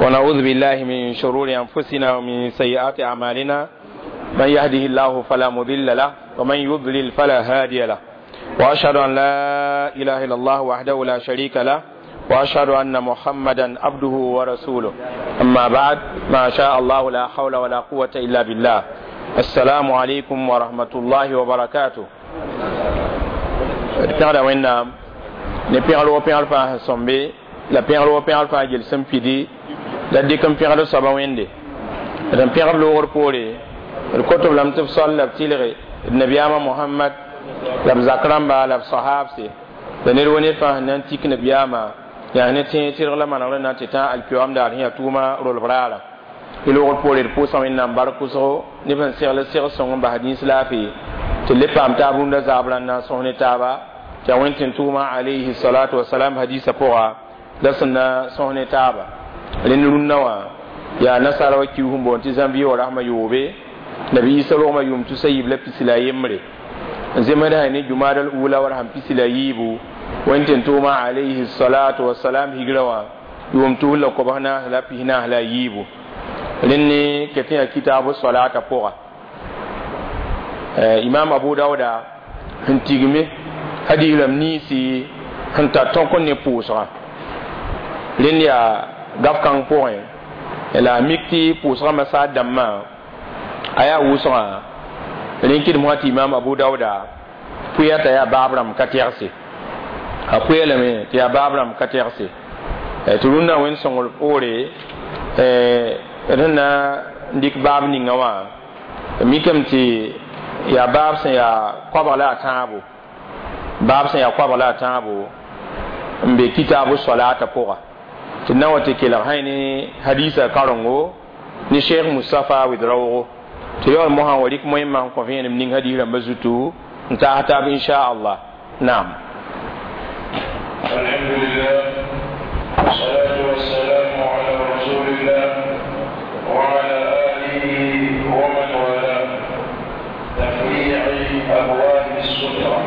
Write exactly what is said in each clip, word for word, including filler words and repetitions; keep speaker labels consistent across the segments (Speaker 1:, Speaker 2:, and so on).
Speaker 1: ونعوذ بالله من شرور أنفسنا ومن سيئات أعمالنا. من يهده الله فلا مضل له ومن يضلل فلا هادي له، وأشهد أن لا إله إلا الله وحده لا شريك له، وأشهد أن محمدا عبده ورسوله. أما بعد، ما شاء الله لا حول ولا قوة إلا بالله. السلام عليكم ورحمة الله وبركاته. Pẽgda Wẽnnaam ne pẽgr wo pẽgr fãa sẽn sõmbe la pẽgr wo pẽgr fãa gel sẽn pidi la dɩk n pẽgd soaba Wẽnde d n pẽgb loogr poore d kot-b lame tɩ b sol la b tɩlge d nabiyaamã Mohamad la b zak rãmba la b sahaabse la ned wo ned fãa sẽn na n tik nabiyaamã yaa ne tẽeg tɩrg la manegr na tɩ tã alkiyoam daar sẽn yaa tʋʋma rolb raara. Y loogr poore d pʋʋsã Wẽnnaam bark pʋsgo neb sẽn segl seg sõng n bas dĩns laafɩ tɩ le paam taab rũndã zaab rãnd na n sõs ne taaba tɩ yaa Wẽnd tɩ tʋʋma alayhi salatu wasalam hadisa pʋga la sẽn na sõs ne taaba. Rẽnd rũndã wã yaa nasara wa kius n boond tɩ zãnvie wa rasmã yoobe nabi Isa rogmã yʋʋm tusa yiib la pisi la yembre n zemsda ne jumaadal ula wa sãn pisi la yiibu Wẽnd tɩ tʋʋma alayhi salatu wasalam higrã wã yʋʋm tus la kobs naas la pis naas la yiibu. Rẽnd ne ket yaa kitaabu solata pʋga Imam Abu Dauda sẽn tigme hadis rãmb niisi sẽn tar tõk n ne pʋʋsgã. Rẽnd yaa gaf-kãng pʋgẽ la a mik tɩ pʋʋsgã masaad dãmbã a yaa wʋsgã rẽn kɩdem wã tɩ Imam Abu Dauda pʋya t'a yaa baab rãmb ka tɛgse a pʋya lame tɩ yaa baab rãmb ka tɛgse tɩ rũndã Wẽnd sõngr poore d sẽn na n dɩk baab ninga wã mikame tɩ yaa baab sẽn yaa koabg la a tãabo baab sẽn yaa koabg la a tãabo n be kitaabu solata pʋga tɩ na wa tɩ kelg sã ne hadisa karengo ne Cheikh Mustapha Wɩd-raoogo tɩ yaool mosã wa rɩk moẽmã n kõ vẽenem ning hadis rãmbã zutu n taas taab inchallah. Naam.
Speaker 2: الحمد لله والصلاة والسلام على رسول الله وعلى آله ومن والاه. تفريع أبواب السترة.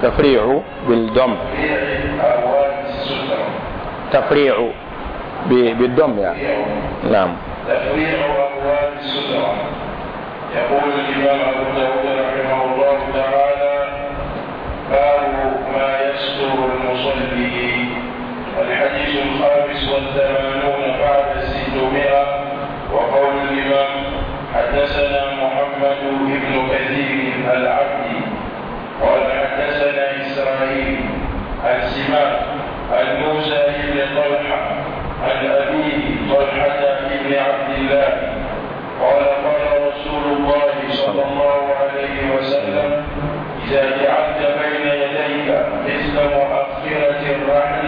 Speaker 1: تفريع بالضم.
Speaker 2: تفريع أبواب السترة.
Speaker 1: تفريع بالضم يعني. نعم.
Speaker 2: تفريع أبواب السترة. يقول الإمام أبو داود رحمه الله تعالى: باب ما يستر المصلي. الحديث الخامس والثمانون بعد الستمائة. وقول الإمام: حدثنا محمد بن كثير العبدي قال حدثنا إسرائيل عن سماك عن موسى بن طلحة عن أبيه طلحة بن عبد الله قال: قال رسول الله صلى الله عليه وسلم: إذا جعلت بين يديك مثل مؤخرة الرحل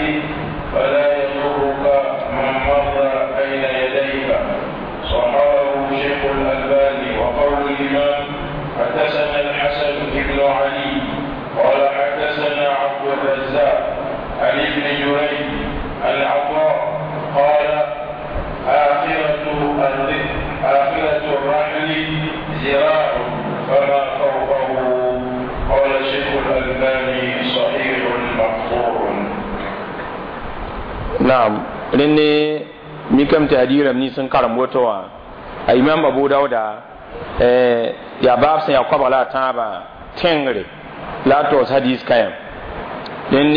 Speaker 2: فلا يضرك من مر بين يديك. صححه شيخ الألباني. وقول الإمام: حدثنا الحسن بن علي قال حدثنا عبد الرزاق عن ابن جريج عن عطاء قال: آخرة آخرة الرحل ذراع فما فوقه. قال شيخ الألباني: صحيح مقطوع.
Speaker 1: نعم. Rẽnd mikame tɩ hadis rãmb nins n karem woto wã a Imam Abu Dauda yaa baab sẽn yaa koabg la a tãabã tẽngre la a toos hadis kayam. Rẽnd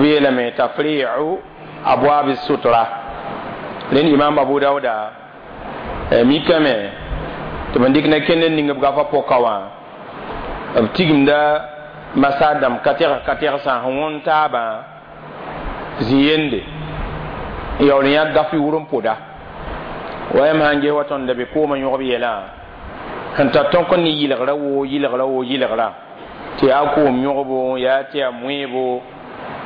Speaker 1: b yeelame tafri'u abwab sutra. Rẽnd Imam Abu Dauda mikame tɩ b dɩk na kend n ning b gafa pʋka wã b tigimda masaad dãmb ka tɛgs ka tɛgsã sẽn wõnd taabã zĩ-yende n yaool n yãk gaf yʋʋr n pʋda wa yam sãn ges wa tõnd da be koomã yõgb yɛlã sẽn tar tõk n ne yɩlgrã woo yɩlgrã woo yɩlgrã tɩ yaa koom yõgbo yaa tɩ yaa moeebo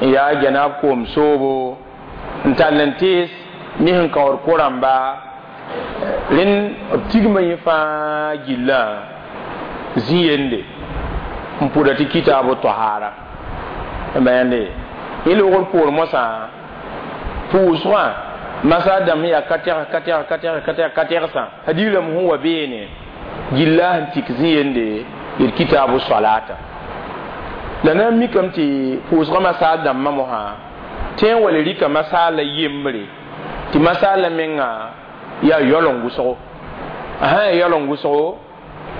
Speaker 1: n yaa janaab koom soobo n tall n tees ne sẽn kaood ko-rãmba rẽnd b tigma yẽ fãa gillã zĩ-yende n pʋda tɩ kitaabo toahaara b yãnde yẽ loogr poor mosã pʋʋsgã masaad dãmb sẽn yaa ka tɛgs ka tɛgs ka tɛgs ka tɛgs ka tɛgsã hadis rãmb sẽn wa beene gilla sẽn tik zĩ-yende d kitaabu solata la na n mikame tɩ pʋʋsgã masaal dãmbã mosã tẽ n wa le rɩka masaal la yembre Tɩ masaala menga yaa yaool n wʋsgo a sã yaa yaool n wʋsgo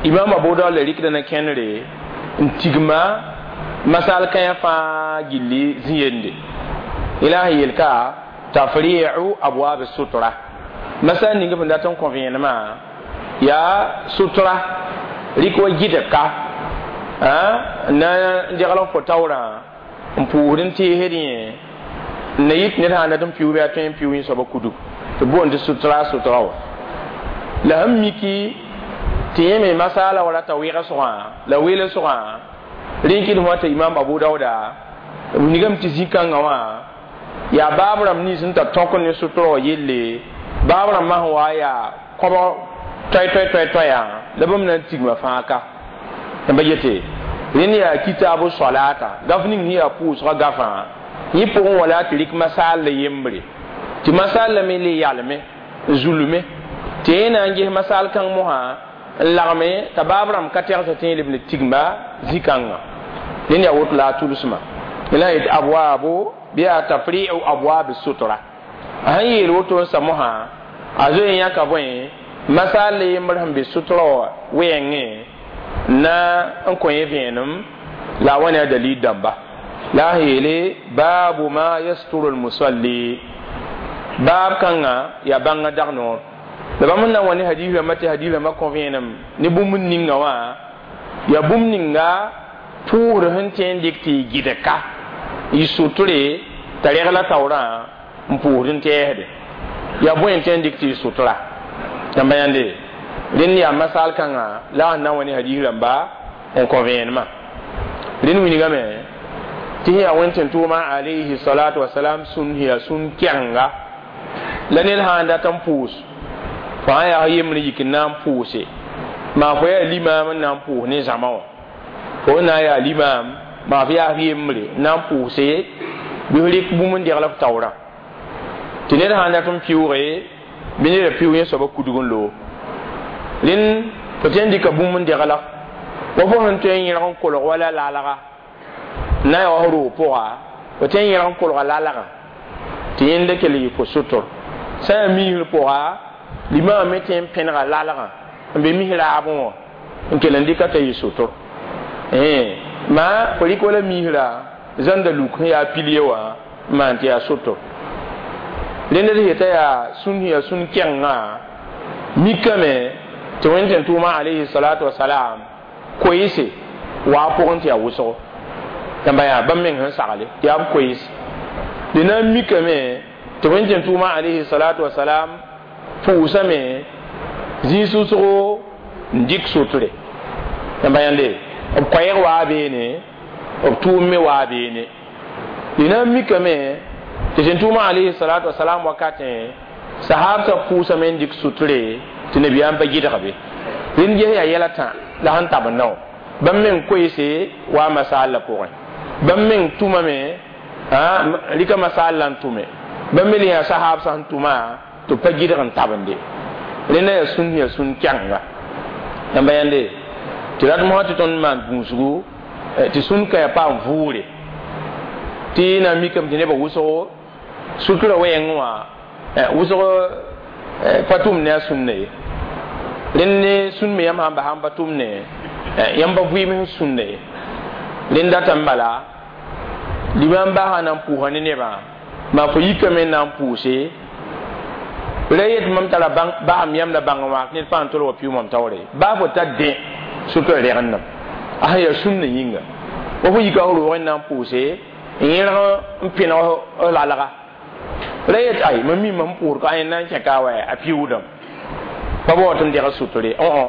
Speaker 1: imam Abu Dawud la rɩkda na kẽnere n tigma masal kãyã fãa gilli zĩ-yende ila sẽn yel ka tafri'u abwab sutra masal ning sẽn dat n kõ vẽenemã yaa sutra rɩk wa gɩdg ka na n degl n fo taoorã n pʋʋsd n teesd yẽ n na yit ned sã n dat n piʋʋ bɩ a tõe n piʋʋ yẽ soaba kudug tɩ boond tɩ sutra sutra wã la sẽn miki tɩ yẽ me masaala wa rata wɩgsgã la weelsgã rẽ kɩd fõ tɩ imam Abu Dawuda wilgame tɩ zĩ-kãngã wã yaa baab rãmb nins n tar tõk ne sutra wã yelle baab rãmbã sẽn wa yaa kõbg toɛ toɛ toɛ toɛyã la bãmb na n tigma fãa ka tɩ ba yete rẽnd yaa kitaabu solata gaf ning sẽn yaa pʋʋsgã gafã yẽ pʋgẽ wala tɩ rɩk masaal la yembre tɩ masaal la me le yalme n zulme tɩ yẽ na n ges masaal kãng mosã n lagme t'a baab rãmb ka tɛgsa tɩ yẽ leb ne tigma zĩ-kãngã rẽnd yaa woto la a tʋlsmã la yet abwaabo bɩ yaa tafri'u abwaabi sutra a sẽn yeel woto n sa mosã a zoe n yãka bõe masaal la yembr sẽn be sutra wã wɛɛngẽ na n kõ yẽ vẽenem la a wa ne a dalil dãmba la a yeele baabu ma yasturu lmusalli baab kãngã yaa bãngã dag noor la bãmb na n wa ne hadis rãmbã tɩ hadis rãmbã kõ vẽenem ne bũmb ninga wã yaa bũmb ninga pʋʋsd sẽn tõe n dɩk tɩ y gɩdg ka y sutre t'a regla taoorã n pʋʋsd n tɛɛsde yaa bõe n tõe n dɩk tɩ y sutra tãmba yãnde rẽnd yaa masaal kãngã la a sẽn na n wa ne hadis rãmba n kõ vẽenemã rẽnd wilgame tɩ sẽn yaa wẽn-tẽn-tʋʋmã alayhi salatu wasalam sũn sẽn yaa sũn kɛgenga la ned sã n dat n pʋʋs fo sã yaa yembr yik n na n pʋʋse maa fo yaa limaam n na n pʋʋs ne zãma wã fo na n yaa limaam maa f yaa yembre n na n pʋʋse bɩ f rɩk bũmb n degl f taoorã tɩ ned sã n dat n pɩʋʋge bɩ neda pɩʋʋg yẽ soaba kudg n loog rẽnd fo tõe n dɩka bũmb n degla wa fo sẽn tõe n yẽrg n kolg wala laalga n na n yaa wa roog pʋga fo tõe n yẽrg n kolga laalgã tɩ yẽnda kell yɩ fo sʋtr sã n yaa misr pʋga limaamã me tõe n pẽnega laalgã n be mis raabẽ wã n kell n dɩka t'a yɩ sʋtr maa fo rɩk wala misrã zãnda luk sẽn yaa pilie wã n maan tɩ yaa sʋtr rẽnd d yeta yaa sũn sẽn yaa sũn kɛngã mikame tɩ wẽn-tẽn-tʋʋmã alayhi salatu wasalam koeese waa pʋgẽ tɩ yaa wʋsgo tãmba yaa bãmb meng sẽn sagle tɩ yaa b koees d na n mikame tɩ wẽn-tẽn-tʋʋmã alayhi salatu wasalam pʋʋsame zĩig sʋsgo n dɩk sotre tãmba yãnde b koɛɛg waa beene b tʋʋm me waa beene d na n mikame tɩ tẽn-tʋʋmã alayhi salatu wasalam wakatẽ sahabsã pʋʋsame n dɩk sutre tɩ nabiyaam pa gɩdg be rẽnd ges yaa yɛl tã la sẽn tab n nao bãmb meng koeese waa masaal la pʋgẽ bãmb meng tʋmame rɩka masaal la n tʋme bãmb me le yaa sahaab sã n tʋma tɩ b pa gɩdg n tabende rẽnda yaa sũn yaa sũn kɛgenga yãmba yãnde tɩ rat mosã tɩ tõnd maan gũusgu tɩ sũn ka yaa paam vʋʋre tɩ na n mikame tɩ nebã wʋsgo sutura wɛɛngẽ wã wʋsg pa tʋm ne a sũnna ye rẽnd ne sũn me yãmb sãn bas n pa tʋm ne yãmb pa vɩɩm sẽn sũnna ye rẽnd datame bala limaam baasã na n pʋʋsa ne nebã maa fo yikame n na n pʋʋse ra yet mam tara basem yãmb la bãng wãak ned pãa n tol wa pɩʋ mam taoore baa fo ta dẽ sutura rɛgendame a sẽn yaa sũnna yĩnga wa fo yika f roogẽ n na n pʋʋse n yẽrg n pẽneg f lalga ra yet ay mam mi mam pʋʋs ka yẽnd na n kẽka wa a pɩʋʋdame pa bao tɩ m deg suture õ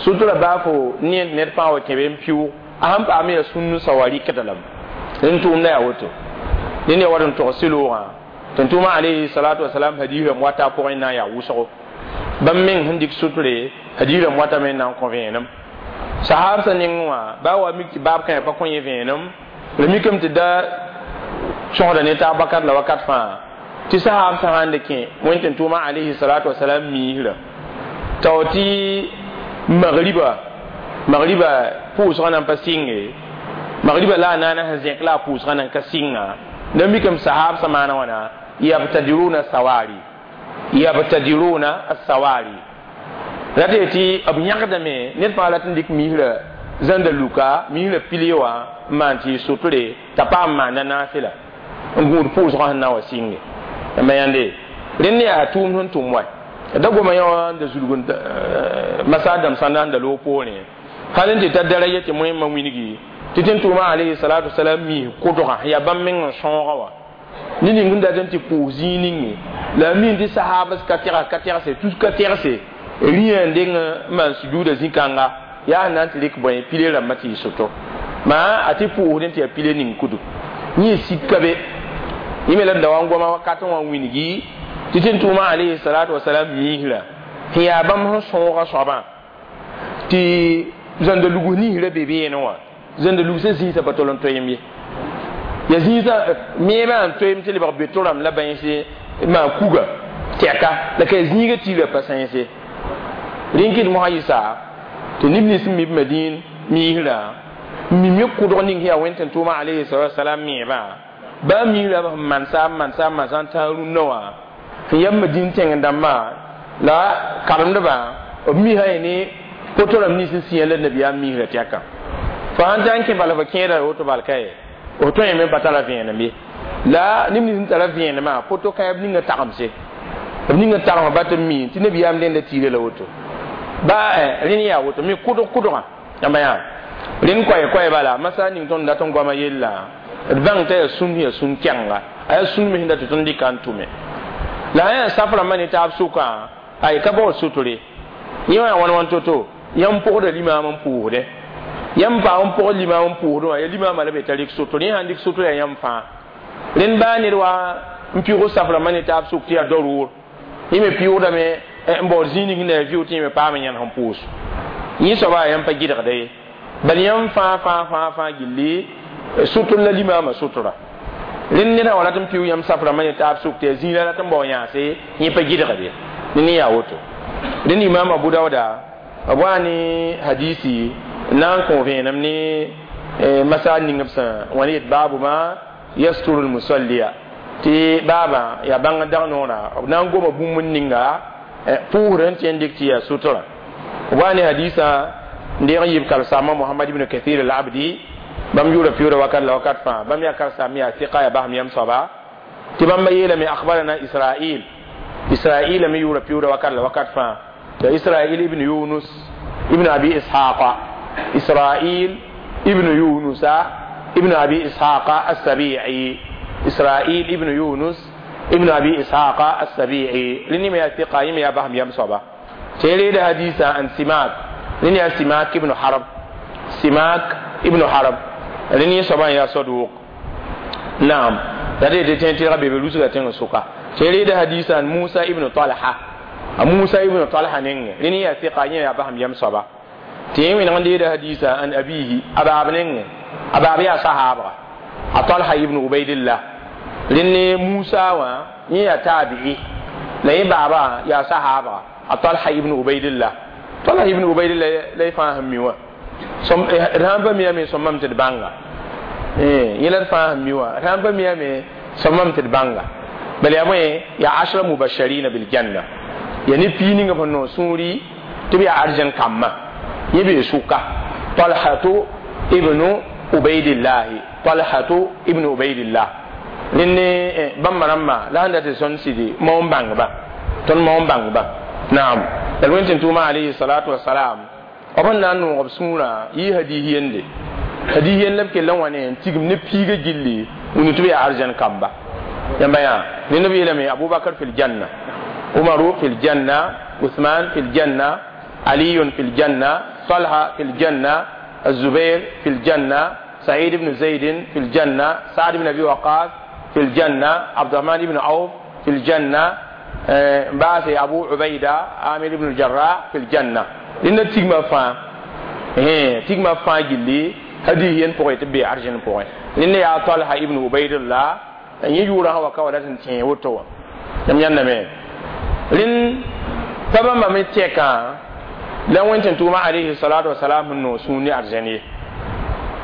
Speaker 1: sutura baa fo ne ned pãa wa kẽ be n pɩʋʋg a sẽn paam yaa sũn n sa wa rɩkda lame rẽnd tʋʋmda yaa woto rẽnd yaa wat n tog sɩloogã tɩ n tʋʋmã alayhi salatu wasalam hadiis rãmb wata a pʋgẽ na n yaa wʋsgo bãmb meng sẽn dɩk sutre hadiis rãmb watame n na n kõ vẽenem sahabsã nengẽ wã baa wa mik tɩ baab kãe pa kõ yẽ vẽenem la mikame tɩ da sõsda ne taab wakat la wakat fãa tɩ sahab sã sãn de kẽ wẽn-tẽn-tʋʋmã alayhi salatu wasalam miisrã tao tɩ magriba magriba pʋʋsgã nan pa sɩnge magriba la a naana sẽn zẽk la a pʋʋsgã nan ka sɩnga la mikame sahab sã maana wãna yabtadiruna sawari Yabtadiruna as-sawari la tɩ b yãgdame ned fãa rat n dɩk misrã zãnda luka misrã pile wã n maan tɩ y sotre t'a paam maanda naafɩla n gũud pʋʋsgã sẽn na n wa sɩnge yãmba yãnde rẽnd yaa tʋʋm sẽn tʋm wa da goma yã wã n da zulg masa dãmb sãnda n da loog poorẽ hal n tɩ ta daraja tɩ moẽmã wilgi tɩ tẽn tʋʋma alayhi salatu wasalam mis kʋdgã yaa bãmb meng n sõoga wã ne ning sẽn dat n tɩ pʋʋs zĩig ninge la a min tɩ sahabs ka tɛgs ka tɛgse tus ka tɛgse rĩa n deng n maan sujuuda zĩ-kãnga yaa sẽn na n tɩ rɩk bõe pile rãmbã tɩ y soto maa a tɩ pʋʋsdẽ tɩ yaa pile ning kudu yẽ sika be yẽ me la d da wa n goma wakat n wa wilgi tɩ tẽn tʋʋma alayhi salatu wasalam miisrã sẽn yaa bãmb sẽn sõoga soabã tɩ zãnda lugs ninsrã be beene wã zãnda lugsã zĩisã pa tol n toeem ye ya zĩisã meebã n toeem tɩ lebg beto rãmb la bãense maa kuga tɛka la ka zĩiga tiirã pa sãense rẽn kɩt mosã yɩsa tɩ neb nins n mi b madĩin miisrã n mi me kʋdg ning sẽn yaa wẽnd tẽn tʋʋma alayhi salatu wasalam meebã baa miisrã b sẽn mansa n mansa n mansa n tãag rũnnã wã sẽn yam madĩin tẽng dãmbã la karemdbã b misã ye ne poto rãmb nins n sĩa la nabiyaam misrã tɛka fo sãn ta n kẽ bala fo kẽeda woto bal ka ye f tõe me pa tara vẽenem ye la neb nins n tara vẽenemã poto kãe b ninga tagemse b ninga tagemã ba tɩ mi tɩ nabiyaam dẽnda tiirã la woto ba rẽnd yaa woto me kʋdg kʋdgã yãmba yaa rẽnd koɛɛ koɛɛ bala masa ning tõnd dat n goama yella d bãng t'a yaa sũnd yaa sũn kɛnga a yaa sũnd me sẽn dat tɩ tõnd dɩka n tʋme la a yaa saf rãmbã ne taab sʋkã ay ka baood sotre yẽ wã yaa wãn wãn to-to yãmb pʋgda limaam n pʋʋsdẽ yãmb paam n pʋgd limaam n pʋʋsdẽ wã ya limaamã la be t'a rɩk sotr yẽ sãn dɩk sotr yaa yãmb fãa rẽnd baa ned wa n pɩʋg saf rãmbã ne taab sʋk tɩ yaa darʋʋr yẽ me pɩʋgdame n baood zĩig ning sẽn da yaa vɩʋ tɩ yẽ me paam n yãnes n pʋʋs yẽ soaba yãmb pa gɩdgda ye bal yãmb fãa fãa fãa fãa gilli sotr la limaamã sotra rẽnd ned sã wa rat n pɩʋ yãmb saf rãmbã ne taab sʋk tɩ yaa zĩig la rat n bao yãase yẽ pa gɩdgde ne yaa woto rẽnd imaam abu dauda b waa ne hadisi n na n kõ vẽenem ne masa ning b sẽn wã ne yet baabu ma yasturu lmusalliya tɩ baabã yaa bãng dag noorã b na n goma bũmb n ninga pʋʋsd n tɩ n dɩk tɩ yaa sutra b waa ne hadisã n deeg n yib karsaamã mohamad ibn kathir al abdi bãmb yʋʋra pɩʋʋda wakat la wakat fãa bãmb yaa karsaam yaa sɩka yaa basem yam soaba tɩ bãmba yeelame akhbarana israil israil me yʋʋra pɩʋʋda wakat la wakat fãa ya israil ibn yunus ibn abi ishaqa israil ibn yunusa ibn abi ishaqa as-sabi'i israil ibn yunus ibn abi ishaqa as-sabi'i lini me ya thiqa yimi ya bahm yam soaba tere da hadisa an simak lini ya simak ibn harb simak ibn harb lini soaba ya saduq naam da de de tin tira bebe lusuga tin suka tere da hadisa an musa ibn talha musa ibn talha ning lini ya thiqa yimi ya bahm yam soaba tɩ wẽneg n deeda hadisa an abihi a baab nengẽ a baab yaa sahaabga a talha ibn ubaidillah rẽnd ne musa wã yẽ yaa taabi'i la yẽ baaba yaa sahaabga a talha ibn ubaidillah talha ibn ubaidillah la y fãa sẽn mi wã d sãn pa miyame sõmame tɩ d bãnga yẽ la d fãa sẽn mi wã d sãn pa miyame sõmame tɩ d bãnga bala yaa bõe yaa ashra mubasharina biljanna yaa ne pii ninga sẽn noog sũuri tɩ b yaa arjẽn kambã yẽ bee sʋka talhatu ibnu ubaidillahi talhatu ibnu ubaidillah rẽnd ne bãmba rãmbã la sẽn dat tɩ sõnd sɩdi maoon bãngba tõnd maoon bãngba naam la d wẽn tɩ tʋʋma alayhi salatu wasalam b sẽn na n noog b sũurã yɩ hadiis yende hadiis yend la b kell n wa ne n tigim ne piiga gilli wũni tɩ b yaa arjẽn kamba yãmba yaa rẽnd b yeelame abubakar fi ljanna umaru fi ljanna uthman fi ljanna علي في الجنة طلحة في الجنة الزبير في الجنة سعيد بن زيد في الجنة سعد بن أبي وقاص في الجنة عبد الرحمن بن عوف في الجنة بعث أبو عبيدة عامر بن الجراح في الجنة لأن تيغما فان إيه تيغما فان جلي هذه ين بوغي تبي أرجن بوغي لأن يا طلحة ابن عبيد الله أن يجورا هو كولا تنتين وتوا يم ينمي لأن طبعا ما متيكا la wẽn tɩ tʋʋma alayhi salatu wasalam sẽn noog sũur ne arzɛn ye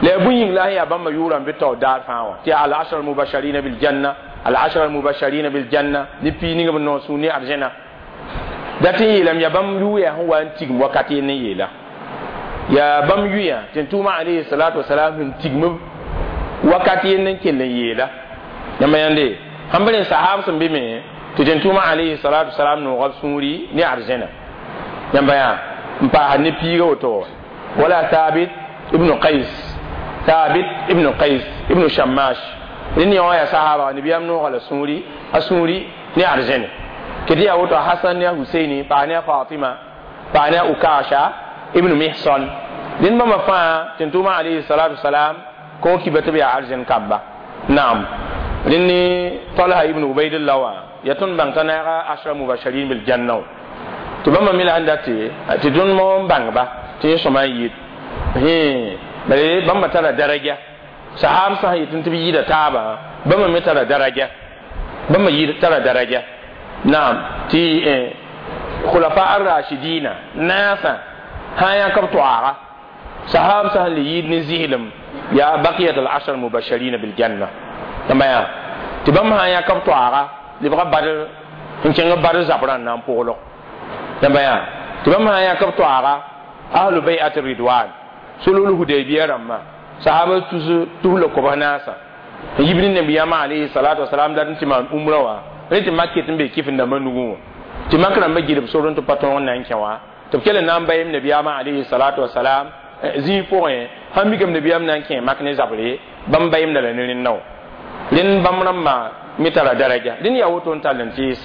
Speaker 1: la yaa bũn yĩng la sẽn yaa bãmba yʋʋra n be taoor daar fãa wã tɩ yaa al ashra almubasharina biljanna Al-ashara al-mubashirin bil janna ni pi ninga b noog sũur ne arzẽna dat n yeelame yaa bãmb yʋʋya sẽn wa n tigim wakat yell n yeela yaa bãmb yʋya tɩ n tʋʋma alayhi salatu wasalam sẽn tigm wakat yell n kell n yeela yãmba yãnde sãn b rẽ sahab sẽn be me tɩ tɩ n tʋʋma alayhi salatu wasalam nooga b sũuri ne arzẽna yãmba yaa n paasd ne piiga woto wala Thabit ibn Qais Thabit ibn Qais ibn Shammash rẽnd yã wã yaa sahaba nabiyaam nooga la sũuri a sũuri ne arzẽne kɩ yaa woto Hasan ne a Huseini paa ne a Fatima paa ne a Ukasha ibn Mihsan rẽnd bãmba fãa tɩ n tʋʋma alayhi salatu wasalam kõ kiba tɩ b yaa arzẽn kamba naam rẽnd ne Talha ibn Ubaidillah wã yaa tõnd bãng t'a naaga ashra mubashirin bil janna tɩ bãmba me la sẽn date tɩ tõnd mo n bãngba tɩ yẽ sõma n yɩɩd bale bãmba tara daraja sahab sã n yetɩ tɩ b yɩɩda taabã bãmba me tara daraja bãmba yɩɩd tara daraja naam tɩ khulafa ar-rashidina naasã sã n yãk b toaaga sahab sã n le yɩɩd ne zɩslem yaa baqiyat al-ashar mubashirina bil janna tãmba yaa tɩ bãmb sã n yãk b toaaga lebga Badr n kẽng Badr zabrã n na n pʋglg tãmba yaa tɩ bãmb sã n yãk b toaaga ahlu bay'at ridwan sulhul Hudaybiya rãmbã sahaba tus tus la kobs naasã n yib ne nabiyaamã alayhi salatu wasalam dat n tɩ maan umrã wã rẽ tɩ mak ket n be kɩf n dãmbã nugẽ wã tɩ mak rãmbã gilb sor n tɩ pa tõog n na n kẽ wã tɩ b kell n na n bayem nabiyaamã alayhi salatu wasalam zĩig pʋgẽ sãn mikame nabiyaam na n kẽ mak ne zabre bãmb bayemda la ne rẽnda wã rẽnd bãmb rãmbã me tara daraja rẽnd yaa woto n tall n tees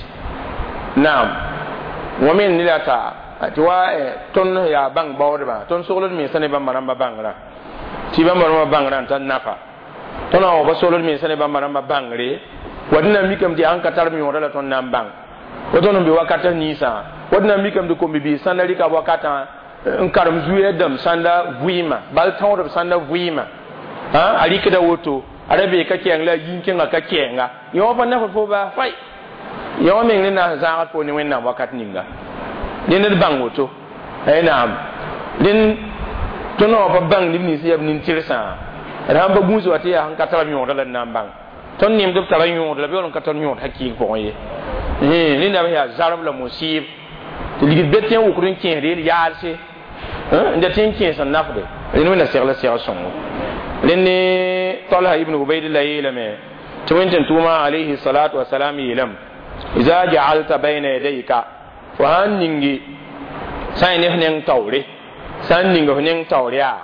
Speaker 1: naam wã me ne la t'a tɩ wa tõnd yaa bãng baoodbã tõnd sogld mensã ne bãmba rãmbã bãngrã tɩ bãmba rãmbã bãngrã n tar nafa tõnd wã pa sogld mensã ne bãmba rãmbã bãngre wa dẽnna mikame tɩ yaa n ka tar b yõoda la tõnd na n bãng wa tõnd n be wakat ninsã wa dẽnna mikame tɩ kom-bibiis sãnda rɩka wakatã n karem zuya dãmb sãnda vɩɩmã bal tõodb sãnda vɩɩmã a rɩkda woto a ra bee ka kɛɛng la a yĩn kẽnga ka kɛɛnga yõ wã pa nafd fo baa fay yõ wã meng ne na n zãagd fo ne Wẽnnaam wakat ninga rẽnd d bãng woto naam rẽnd tõnd wã pa bãng neb nins yaa b nin-tɩrsã d sãn pa gũus wa tɩ yaa sẽn ka tara yõoda la d na n bãng tõnd nemd b tara yõod la b yaool n ka tar yõod hakɩɩg pʋgẽ ye rẽnda b yaa zarb la musib tɩ ligd be tẽ n wʋkd n kẽesd yel yaalse n da tẽ n kẽes n nafde rẽnd wẽnna segla seg sõngo rẽnd ne Talha ibn Ubaidillah yeelame tɩ wẽn tɩ n tʋʋma alayhi salatu wasalam yeelame iza ja'alta bayna yadayka fo sãn ningi sã n ne f neng taoore sã n ning f neng taoor yaa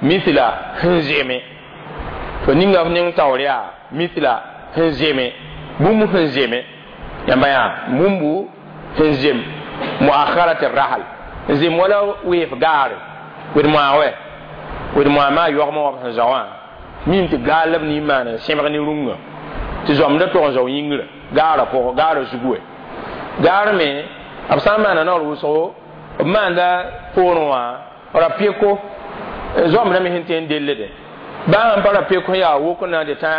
Speaker 1: mithla sẽn zeme fo ninga f neng taoor yaa mithla sẽn zeme bũmb sẽn zeme yãmba yaa bũmbu sẽn zem muakharat rahal n zem wala weef gaare wed moa wɛ wed moa maa yɔgmã wa b sẽn zao wã mim tɩ gaal la b nin maan n sẽbg ne rũngã tɩ zoamda tog n zao yĩngrã gaarã pʋgẽ gaarã zugu wɛ gaar me b sã n maana naoor wʋsgo b maanda poorẽ wã ra-peko zoamdã me sẽn tõe n dellde baa sãn pa ra-pek yaa wok n na n tɩ tã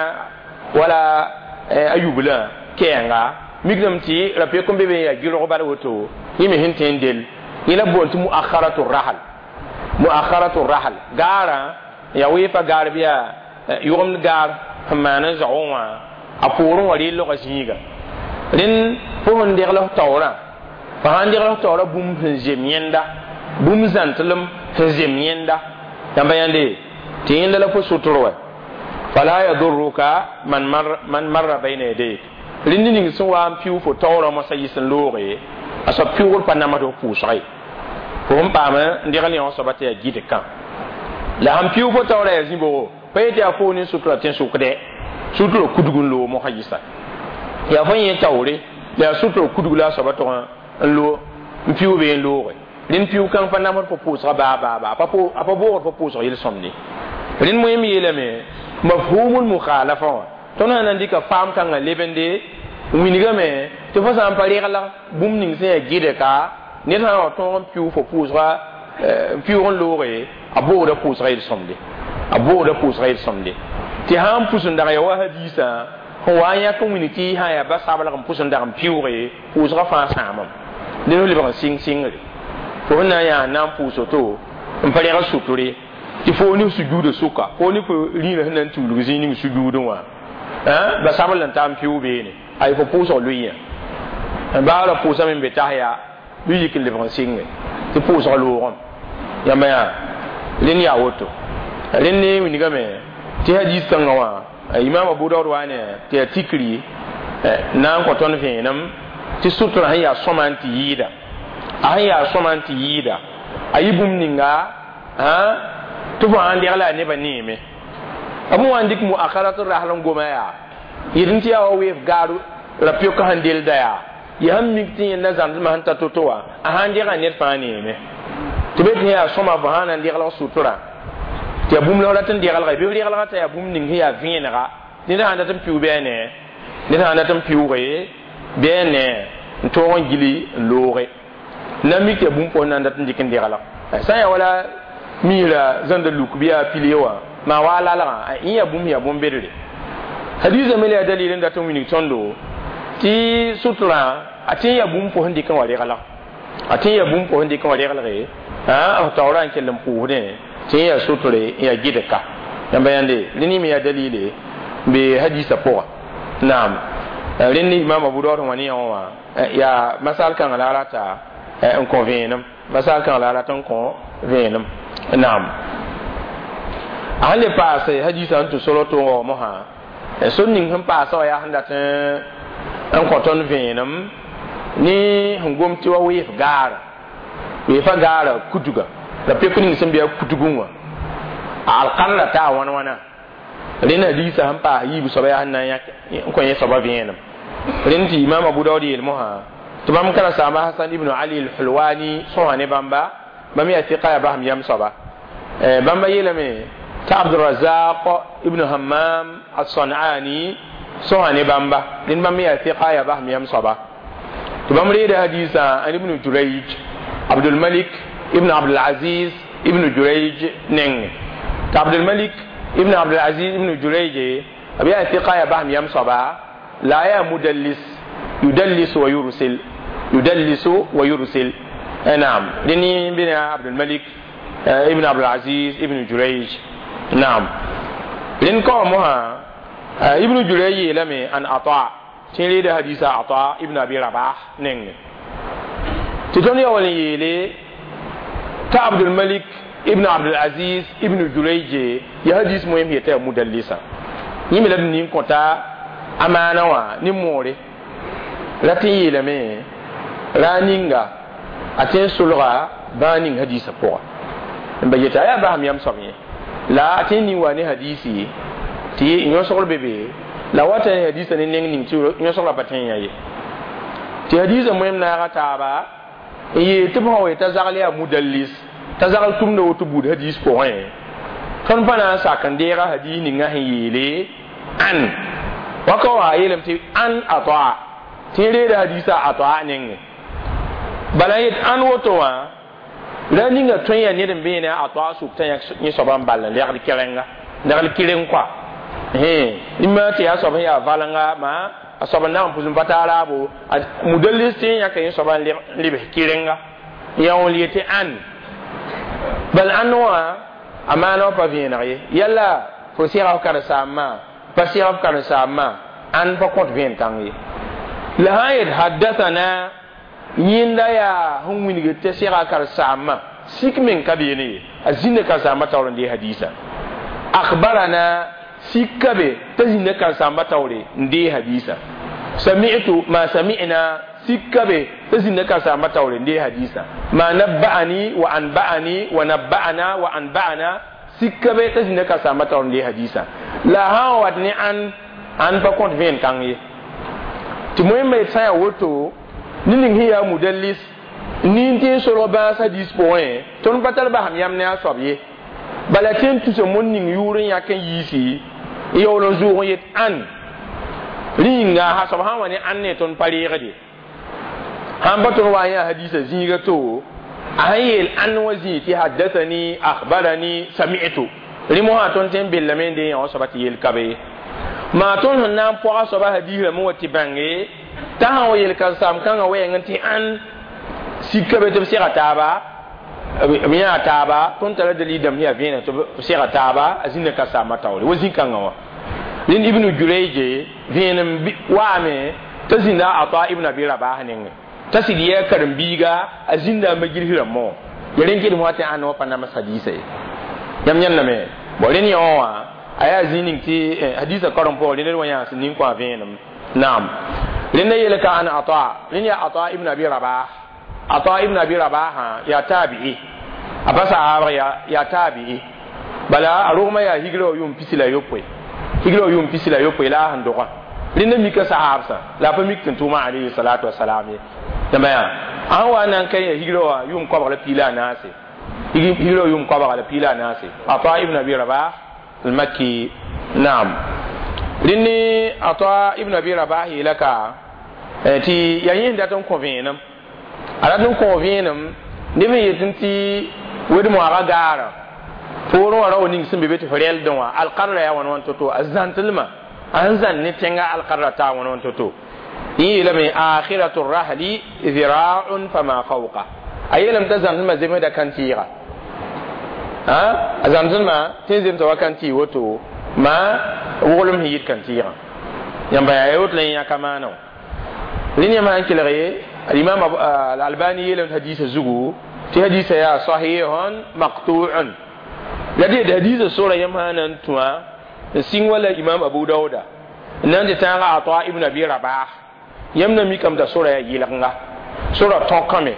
Speaker 1: wala a yublã kɛɛnga mikdame tɩ ra-pek n be be n yaa gɩrg bal woto yẽ me sẽn tõe n dell yẽ la boond tɩ muakharatu rahal muakharatu rahal gaarã yaa weefa gaar bɩ yaa yʋgemd gaar sẽn maan n zao wã a poorẽ wã reel logã zĩiga rẽnd fo sẽn degl f taoorã fo sãn degl f taoorã bũmb sẽn zem yẽnda bũmb zãntlem sẽn zem yẽnda yãmba yãnde tɩ yẽnda la fo sʋtr wɛ fala yadurruka man mar man marra bayna yadayk rẽnd ning sẽn wa n pɩʋ fo taoorã moasã yɩs n looge a soab pɩʋgr pa namsd f pʋʋsga ye fo sẽn paam n degl yã wã soaba tɩ yaa gɩd kã la sãn pɩʋ fo taoorã yaa zĩ-bogo pa yetɩ yaa fo ne sutura tẽ-sʋkdɛ sutura kudg n loog mosã yɩsa yaa fo yẽ taoore la yaa sutura kudg la a soaba tog n lo n pɩʋ bee n looge rẽnd pɩʋ kãng pa namsd fo pʋʋsga baa baa baa a pa boogd fo pʋʋsg yel-sõmde rẽnd moẽm yeelame mafhumul mukhalafa wã tõnd sã na n dɩka faam kãngã lebende wingame tɩ fo sã n pa regla bũmb ning sẽn yaa gɩdka ned sã n wa tõog n pɩʋ fo pʋʋsga pɩʋg n looge a boogda pʋʋsga yel-sõmde a boogda pʋʋsga yel-sõmde tɩ sã n pʋs n dag ya wa hadiisã sẽn wa n yãk n wing tɩ sã n yaa ba sablg n pʋs n dag n pɩʋge pʋʋsga fãa sãamame ned f lebg n sɩng sɩngre fo sẽn na n yaa n na n pʋʋs woto n pa reg suture tɩ fo ne sujuudã sʋka fo ne fo rĩirã sẽn na n tuulg zĩig ning sujuudẽ wã Ba sabl n taam piʋʋg beene ay fo pʋʋsg lʋɩyã baa ra pʋʋsame n be tas yaa bɩ yik n lebg n sɩnge tɩ pʋʋsg loogame yãmba yaa rẽnd yaa woto rẽnd ne wilgame tɩ hadis kãngã wã imam abu daud wa ne tɩ yaa tikri na n kõ tõnd vẽenem tɩ sutra sẽn yaa sõma n tɩ yɩɩda a sẽn yaa sõma n tɩ yɩɩda a yɩ bũmb ninga tɩ fo sãn degla a nebã neeme b wã n dɩk muakarat rasl n goma yaa yɩd n tɩ yaa wa weef gaar ra-pɩk sẽn delda yaa ya sẽn mik tɩ yẽnda zãmsmã sẽn ta to-to wã a sãn dega ned fãa neeme tɩ be tɩ yaa sõma fo sã na n deglg sutura tɩ yaa bũmb la f rat n degelga bɩ f regelga t'a yaa bũmb ning sẽn yaa vẽenega ned sãn dat n piʋʋg bɩ a ne ned sãn dat n piʋʋge bɩ a ne n tõog n gili n looge na mik tɩ yaa bũmb pʋsẽ na n dat n dɩk n degelg sã n yaa wala miisra zãnda luk bɩ yaa pile wã maa wa a lalgã yẽ yaa bũmb yaa bõn-bedre hadiisã me la yaa dalil n dat n wilg tõndo tɩ sutrã a tẽ yaa bũmb pʋsẽ dɩk n wa regelg a tẽ yaa bũmb pʋsẽ dɩk n wa regelge b taoorã n kell n pʋʋsdẽ tɩ yẽ yaa sutre n yaa gɩdka yãmba yãnde rẽnd me yaa dalile n be hadiisã pʋga naam rẽnd imam abu daud wã ne yã wã yaa masal kãngã la a rata n kõ vẽenem masal kãngã la a rat n kõ vẽenem naam a sẽn le paase hadiisã n tɩ soro tʋʋgã mosã sor ning sẽn paasa wã yaa sẽn dat n kõ tõnd vẽenem ne sẽn gom tɩ wa weef gaara weefa gaara kutuga la pek ning sẽn be a kutugẽ wã a alkarra taa wãn wãna rẽnd hadiisã sẽn paas yiib soaba yaa sẽn na n kõ yẽ soaba vẽenem rẽnd tɩ imam abu daud yeel mosã tɩ bãmb karen-saamba hasan ibn ali al-hulwani sõsa ne bãmba bãmb yaa tɩka yaa basem yam soaba bãmba yeelame tɩ abdurazaq ibn hammam as-sanani sõsa ne bãmba rẽnd bãmb yaa tɩka yaa basem yam soaba tɩ bãmb reeda hadiisã an ibn jurayj abdulmalik ibn abdulaziz ibn jurayj neng tɩ abdulmalik ibn abdulaziz ibn jurayj b yaa tɩka yaa basem yam soaba la yaa mudallis yudallis wa yursil yudallisu wa yursil naam rẽnd bɩ abdulmalik ibn abdulaziz ibn jurayj naam rẽnd kao mosã ibn jurayj yeelame an ata tɩ reeda hadiisa ata ibn abi rabah nenge tɩ tõnd ya wall n yeele t'a abdulmalik ibn abdulaziz ibn jurayj ya hadis moem yeta ya mudallisa yẽ me la d nin kõta amaana wã ne moore ra tɩ n yeelame ra ninga a tẽ n solga bãa ning hadiisã pʋga n ba yeta a yaa basem yam soab yẽ la a tẽ n ning wa ne hadiisi tɩ yõsgr be be la wata ne hadiisã ne neng ning tɩ yõsgrã pa tẽ yã ye tɩ hadiisã moem naaga taaba n yeel tɩ b sã wa t'a zagl yaa mudallis t'a zagl tʋmda woto buud hadiis pʋgẽ tõnd pa na n sak n deega hadiis ninga sẽn yeele an waka wã a yeelame tɩ an atoa tɩ n reeda hadiisã atoa nengẽ bala yet an woto wã la ninga tõe yaa ned n beene a toa suk t'a yẽ soaba n ball n legd kɛrɛnga legd kɩreng kɔa ima tɩ yaa soab sẽn yaa valenga ma a soab n na n pʋs n pa taa raabo mudallis tɩ yãka yẽ soaba n lebs kɩrenga ya wã yetɩ an bal an wã a maana wã pa vẽeneg ye yalla fo sɩga f karen-saambã pa sɩga f karen-saambã an pa kõt vẽen kãng ye la sã n yet haddathana yẽnda yaa sẽn wilgd tɩ sɩga karen-saambã sik meng ka beene ye a zĩnda karen-saambã taoor n dee hadiisa akhbarana sik ka be t'a zĩnda karen-saambã taoore n dee hadiisa sami'tu ma sami'na sik ka be t'a zĩnda karen-saambã taoore n dee hadiisa ma nabba'ani wa anba'ani wa nabba'ana wa anba'ana sik ka be t'a zĩnda karen-saambã taoor n dee hadiisa la sã n wat ne an an pa kõt vẽen kãng ye tɩ moẽmba yet sã n yaa woto ne ning sẽn yaa mudallis nin tɩ n solg bãas hadiis pʋgẽ tõnd pa tar basem yam ne a soab ye bala tɩ n tusa mon ning yʋʋr n yãk n yiisi n yaool n zʋʋg n yet an rĩnga a soab sã n wa ne an ne tõnd pa reegde sãn pa tõnd wa n yaa hadiisã zĩiga to a sẽn yeel an wã zĩig tɩ haddathani akhbarani sami'tu rẽ mosã tõnd tẽ n bellame n dee yã wã soaba tɩ yel ka be ye maa tõnd sẽn na n pɔga soaba hadiisrãmb wa tɩ bãnge t'a sã n wa yel karen-saam kãngã wɛɛng tɩ ãn sika be tɩ b sega taaba b yãa taaba tõnd tara dalil dãmb yaa vẽeneg tɩ b sega taaba a zĩnda karen-saambã taoore wa zĩ-kãngã wã Rẽnd Ibnu Jurayje vẽenem waame t'a zĩnda Ata ibn Abi Rabah nengẽ t'a sɩd yɩ a karen-biiga a zĩnda a majlis rãmbã wã ya rẽn kɩdem wa tɩ ãnd wã pa nams hadiisa ye yãmb yãndame bon rẽnd yõ wã a yaa zĩig ning tɩ hadiisã karem pʋgẽ rẽnd wa yãas nin kõ a vẽenem naam rẽnda yeel ka an Ata rẽnd yaa Ata ibn Abi Rabah Ata ibn Abi Rabah yaa taabi'i a pa sahaabg yaa taabi'i bala a rogmã yaa higra wa yʋʋm pisi la yopoe higra wa yʋʋm pisi la yopoe la a sẽn dogã rẽnda mika sahaabsã la a pa mik tɩ tʋʋmã alayhi salatu wasalam ye yãmba yaa a sẽn wa n na n ka yaa higra wa yʋʋm koabg la piila a naase higra wa yʋʋm koabga la piila a naase Ata ibn Abi Rabah al-Makki naam rẽnd Ata ibn Abi Rabah yeela ka tɩ yaa yẽ dat n kõ vẽenem a rat n kõ vẽenem neb n yetẽ tɩ wed-moaagã gaarã poorẽ wã rao ning sẽn be be tɩ f rɛldẽ wã alqarra yaa wãn wãn to-to a zãntlmã a sẽn zãn ne tẽngã alqarra taa wãn wãn to-to yẽ yeelame akhiratu rahli zira'un fama fawqa a yeelame t'a zãntlmã zemsda kan-tɩɩga a zãntlmã tɩ n zemsa wa kan-tɩɩg woto ma woglem sẽn yit kan-tɩɩgã yãmba yaa woto la yẽ yãka maana wã rẽnd yãmb sãn kelg ye alimam alalbani yeelame hadiisã zugu tɩ hadiisã yaa sahihun maqtu'un la dɩ hadiisã sora yãmb sã na n tũa n sɩng wala imam Abu Dauda n na n tɩ tãaga Ata ibn Abi Rabah yãmb na mikame t'a sora yaa yɩlgenga sora tõkame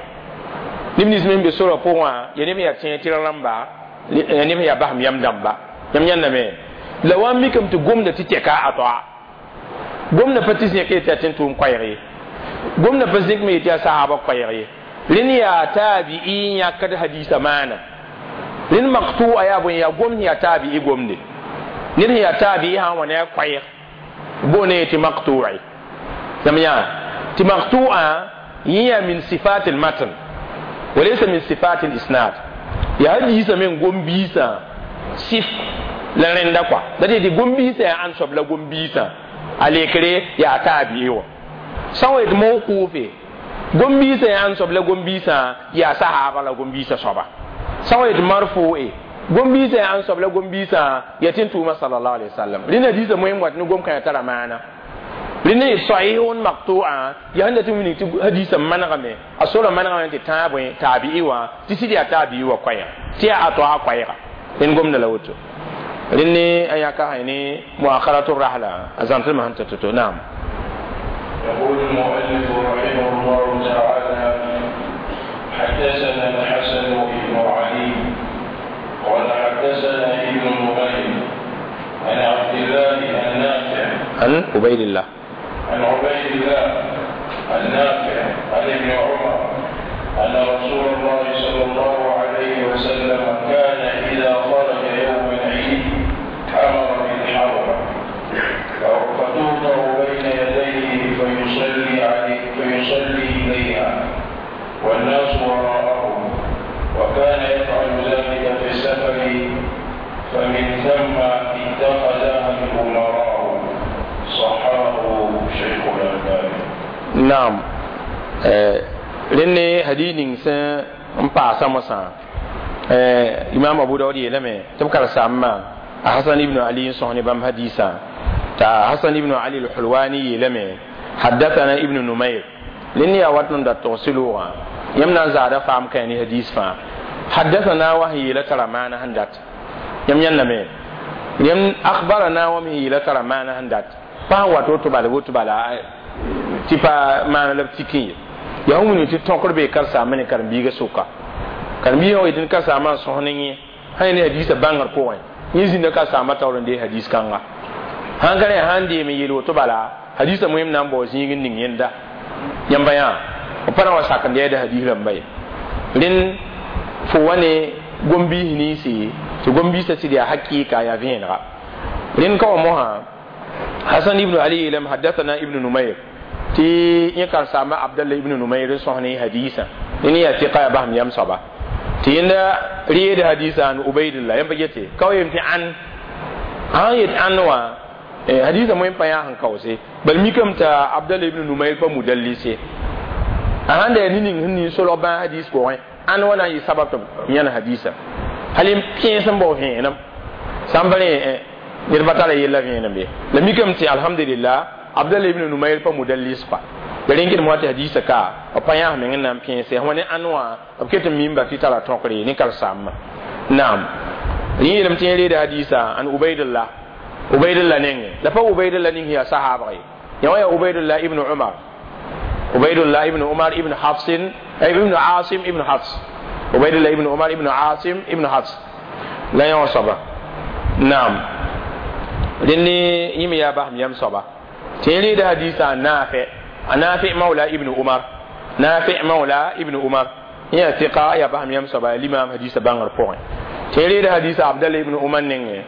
Speaker 1: neb nins me sẽn be sora pʋgẽ wã ya neb sẽn yaa tẽeg tɩ rãmba ya neb sẽn yaa basem yam dãmba yãmb yãndame la wa n mikame tɩ gomda tɩ tɛka a toa gomda pa tɩ zẽk yetɩ yaa tẽn tʋʋm koɛɛg ye gomda pa zẽk me yetɩ yaa sahaaba koɛɛg ye rẽnd yaa taabi'i yãkd hadiisã maana rẽnd maktu a yaa bõe yaa gomd sẽn yaa taabi'i gomde ned sẽn yaa taabi'i sã n wa ne a koɛɛg boone tɩ maktu'i yãmb yã tɩ maktu'a yẽ yaa min sifat al-matn walaysa min sifat al-isnad yaa hadiisã me n gom biisã sif la rẽnda kɔa la tɩ tɩ gom-biisã yaa ãnd soab la gom-biisã a lekre yaa taabi'i wã sã n wa yet mawqufe gom-biisã yaa ãnd soab la gom-biisã yaa sahaaba la gom-biisã soaba sã n wa yet marfu'e gom-biisã yaa ãnd soab la gom-biisã yaa tɩ n tʋʋma sallallahu alaihi wasallam rẽnd hadiisã moẽm wat ne gom-kãyã tara maana rẽnd yet sahihun maqtu'a yaa sẽn dat n wilg tɩ hadiisã manegame a sora manegame tɩ tãag bõe taabi'i wã tɩ sɩd yaa taabi'i wã koɛɛga tɩ yaa a toa koɛɛga rẽnd gomda la woto rẽnd a yãka sã ne muakharatu rahla a zãmsdmã sẽn tɩ to-to naam
Speaker 2: يقول المؤلف رحمه الله تعالى حدثنا الحسن بن علي قال حدثنا ابن نمير عن عبد الله النافع
Speaker 1: عن عبيد الله
Speaker 2: عن عبيد الله النافع عن ابن عمر أن رسول الله صلى الله عليه وسلم كان إذا خرج يوم العيد أمر بالحربة فتوضع بين يديه فيصلي عليه فيصلي إليها والناس وراءه وكان يفعل ذلك في السفر فمن ثم اتخذها الأمراء صححه شيخ الألباني
Speaker 1: naam rẽnd hadis ning sẽn n paasa mosã imam Abu Daud yeelame tɩ b karen-saambã Hasan ibn Ali n sõs ne bãmb hadiisã t'a Hasan ibn Ali al-Hulwani yeelame حدثنا ابن نمير rẽnd yaa wat n dat togs loogã yãmb na n zaada faam kã ne hadis fãa حدثنا wa sẽn yeela tara maana sẽn dat yãmb yãndame yãmb أخبرنا wa me sẽn yeela tara maana sẽn dat pa sẽn wat woto bala woto bala tɩ pa maana la b tikẽ ye yaa sẽn wilg tɩ tõkr bee karen-saambã ne karen-biigã sʋka karen-biigã wa yetɩ karen-saambã n sõs ne yẽ sã ne hadiisã bãngr pʋgẽ yẽ zĩnda karen-saambã taoor n deeg hadis kãnga sãn ka rẽ sãn deem n yeel woto bala hadisã moẽm na n bao zĩig n ning yẽnda yãmba yã b pa na wa sak n deeda hadis rãmba ye rẽnd fo wa ne gom-biis ninsi tɩ gom-biisã sɩd yaa hakɩɩka yaa vẽenega rẽnd ka wa mosã Hasan ibn Ali yeelame حدثنا ibn Numayr tɩ yẽ karen-saamba Abdallah ibn Numayr n sõs ne hadisã rẽnd yaa tɩ yaa basem yam soaba tɩ yẽnda reed hadisã an Ubaydillah yãmb pa gete ka wa yem tɩ ãn sãn yet ãn wã hadisã moẽm pa yaa sẽn kaoose bal mikame t'a Abdallah ibn Numayr pa mudallise a sãn da yaa ne ning sẽn ning solg bãag hadis pʋgẽ ãn wa na n yɩ sabab tɩ b yãn hadisã hal n pẽes n bao vẽenem sã n pa rẽ ned pa tara yella vẽenem be la mikame tɩ alhamdulillah abdallah ibn numayr pa mudallis pa la rẽn kɩdem wa tɩ hadiisã ka b pa yãas meng n na n pẽese wã ne ãn wã b ket n mimba tɩ tara tõkre ne karsaambã naam yẽ yeelame tɩ yẽ reeda hadiisa an ubaidullah ubaidullah nengẽ la pa ubaidullah ning yaa sahaabg ye yã wã yaa ubaidullah ibn umar ubaidullah ibn umar ibn hafsin ibn asim ibn hafs ubaidullah ibn umar ibn asim ibn hafs la yã wã soaba naam rẽnd yẽ me yaa basem yam soaba tɩ yẽ reeda hadiisa a naafe a naafi mawla ibn umar naafi mawla ibn umar yẽ yaa tɩka yaa basem yam soaba yaa limaam hadiisa bãngr pʋgẽ tɩ yẽ reeda hadiisa abdallah ibn umar nengẽ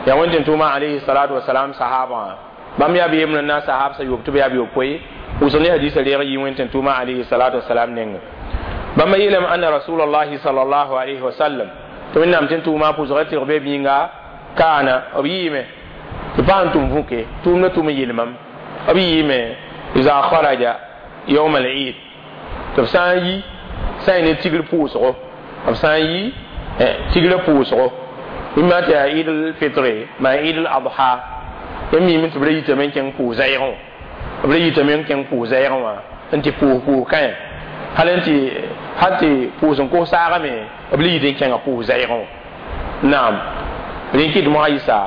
Speaker 1: yaa wẽn tʋʋma alayhi salatu wasalam sahaabã bãmb yaa b yembrã n na n sahaab sa yob tɩ b yaa b yopoe wʋsg ne hadiisa reeg yɩ wẽn tʋʋma alayhi salatu wasalam nengẽ bãmba yeelame anna rasulallahi sallallahu alayhi wa sallam tɩ wẽnnaam tɩ tʋʋma pʋsga tɩg be b yĩnga kaana b yɩɩme tɩ pa sẽn tʋm vũke tʋʋmda tʋm n yel mam b yɩɩme iza kharaja yawm al-eid tɩ b sã n yi sã n ne tigr pʋʋsgo b sã n yi tigrã pʋʋsgo bĩmba tɩ yaa eid al-fitre maa eid al-adha yãmb miime tɩ b ra yitame n kẽng pʋʋs-zɛɛgẽ b ra yitame n kẽng pʋʋs-zɛɛgẽ wã n tɩ pʋʋs pʋʋs kãe hal n tɩ hal tɩ pʋʋs n kos saagame b le yit n kẽnga pʋʋs-zɛɛgẽ naam rẽn kɩt mosã yɩsa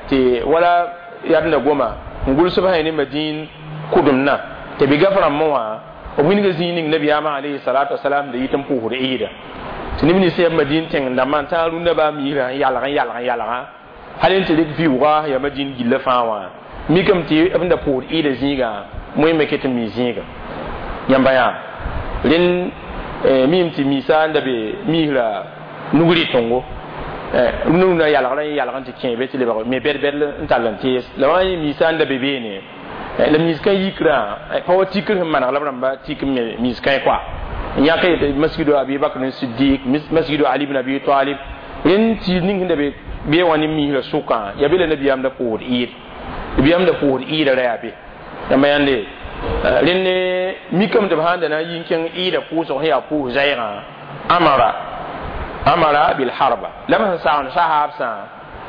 Speaker 1: tɩ wala yadenda goma n gʋls b sã ne madĩin kʋdemdã tɩ bɩ gaf rãmbẽ wã b wilga zĩig ning nabiyaamã alayhi salatu wasalam da yit n pʋʋsd eeda tɩ neb nins yaa madĩin tẽng dãmbã n tãag rũndã baa miisrã n yalg n yalg n yalgã hal n tɩ rɩk vɩʋʋga yaa madĩin gillã fãa wã mikame tɩ b da pʋʋsd eeda zĩigã moẽ me ket n mi zĩiga yãmba yaa rẽnd miime tɩ miisa n da be miisrã nug rɩtengo rũndã rũndã yalgrã n yalg n tɩ kẽe be tɩ lebg me bɛd-bɛd n tall n tees la wã yẽ miisa n da be beene la miis-kã yikrã pa wa tikr sẽn maneg la b rãmba tik n me miis-kã koa n yãk yetɩ masgido abi bakr siddiq masgido ali ibn abi talib rẽnd tɩ ning sẽn da be bee wã ne miisrã sʋkã yaa be la nabiyaam da pʋʋsd eed nabiyaam da pʋʋsd eeda ra yaa be yãmba yãnde rẽnd mikame tɩ b sãn da na n yi n kẽng eeda pʋʋsg sẽn yaa pʋʋs zɛɛgã amara amara bil harba la b sẽn sagend sahaabsã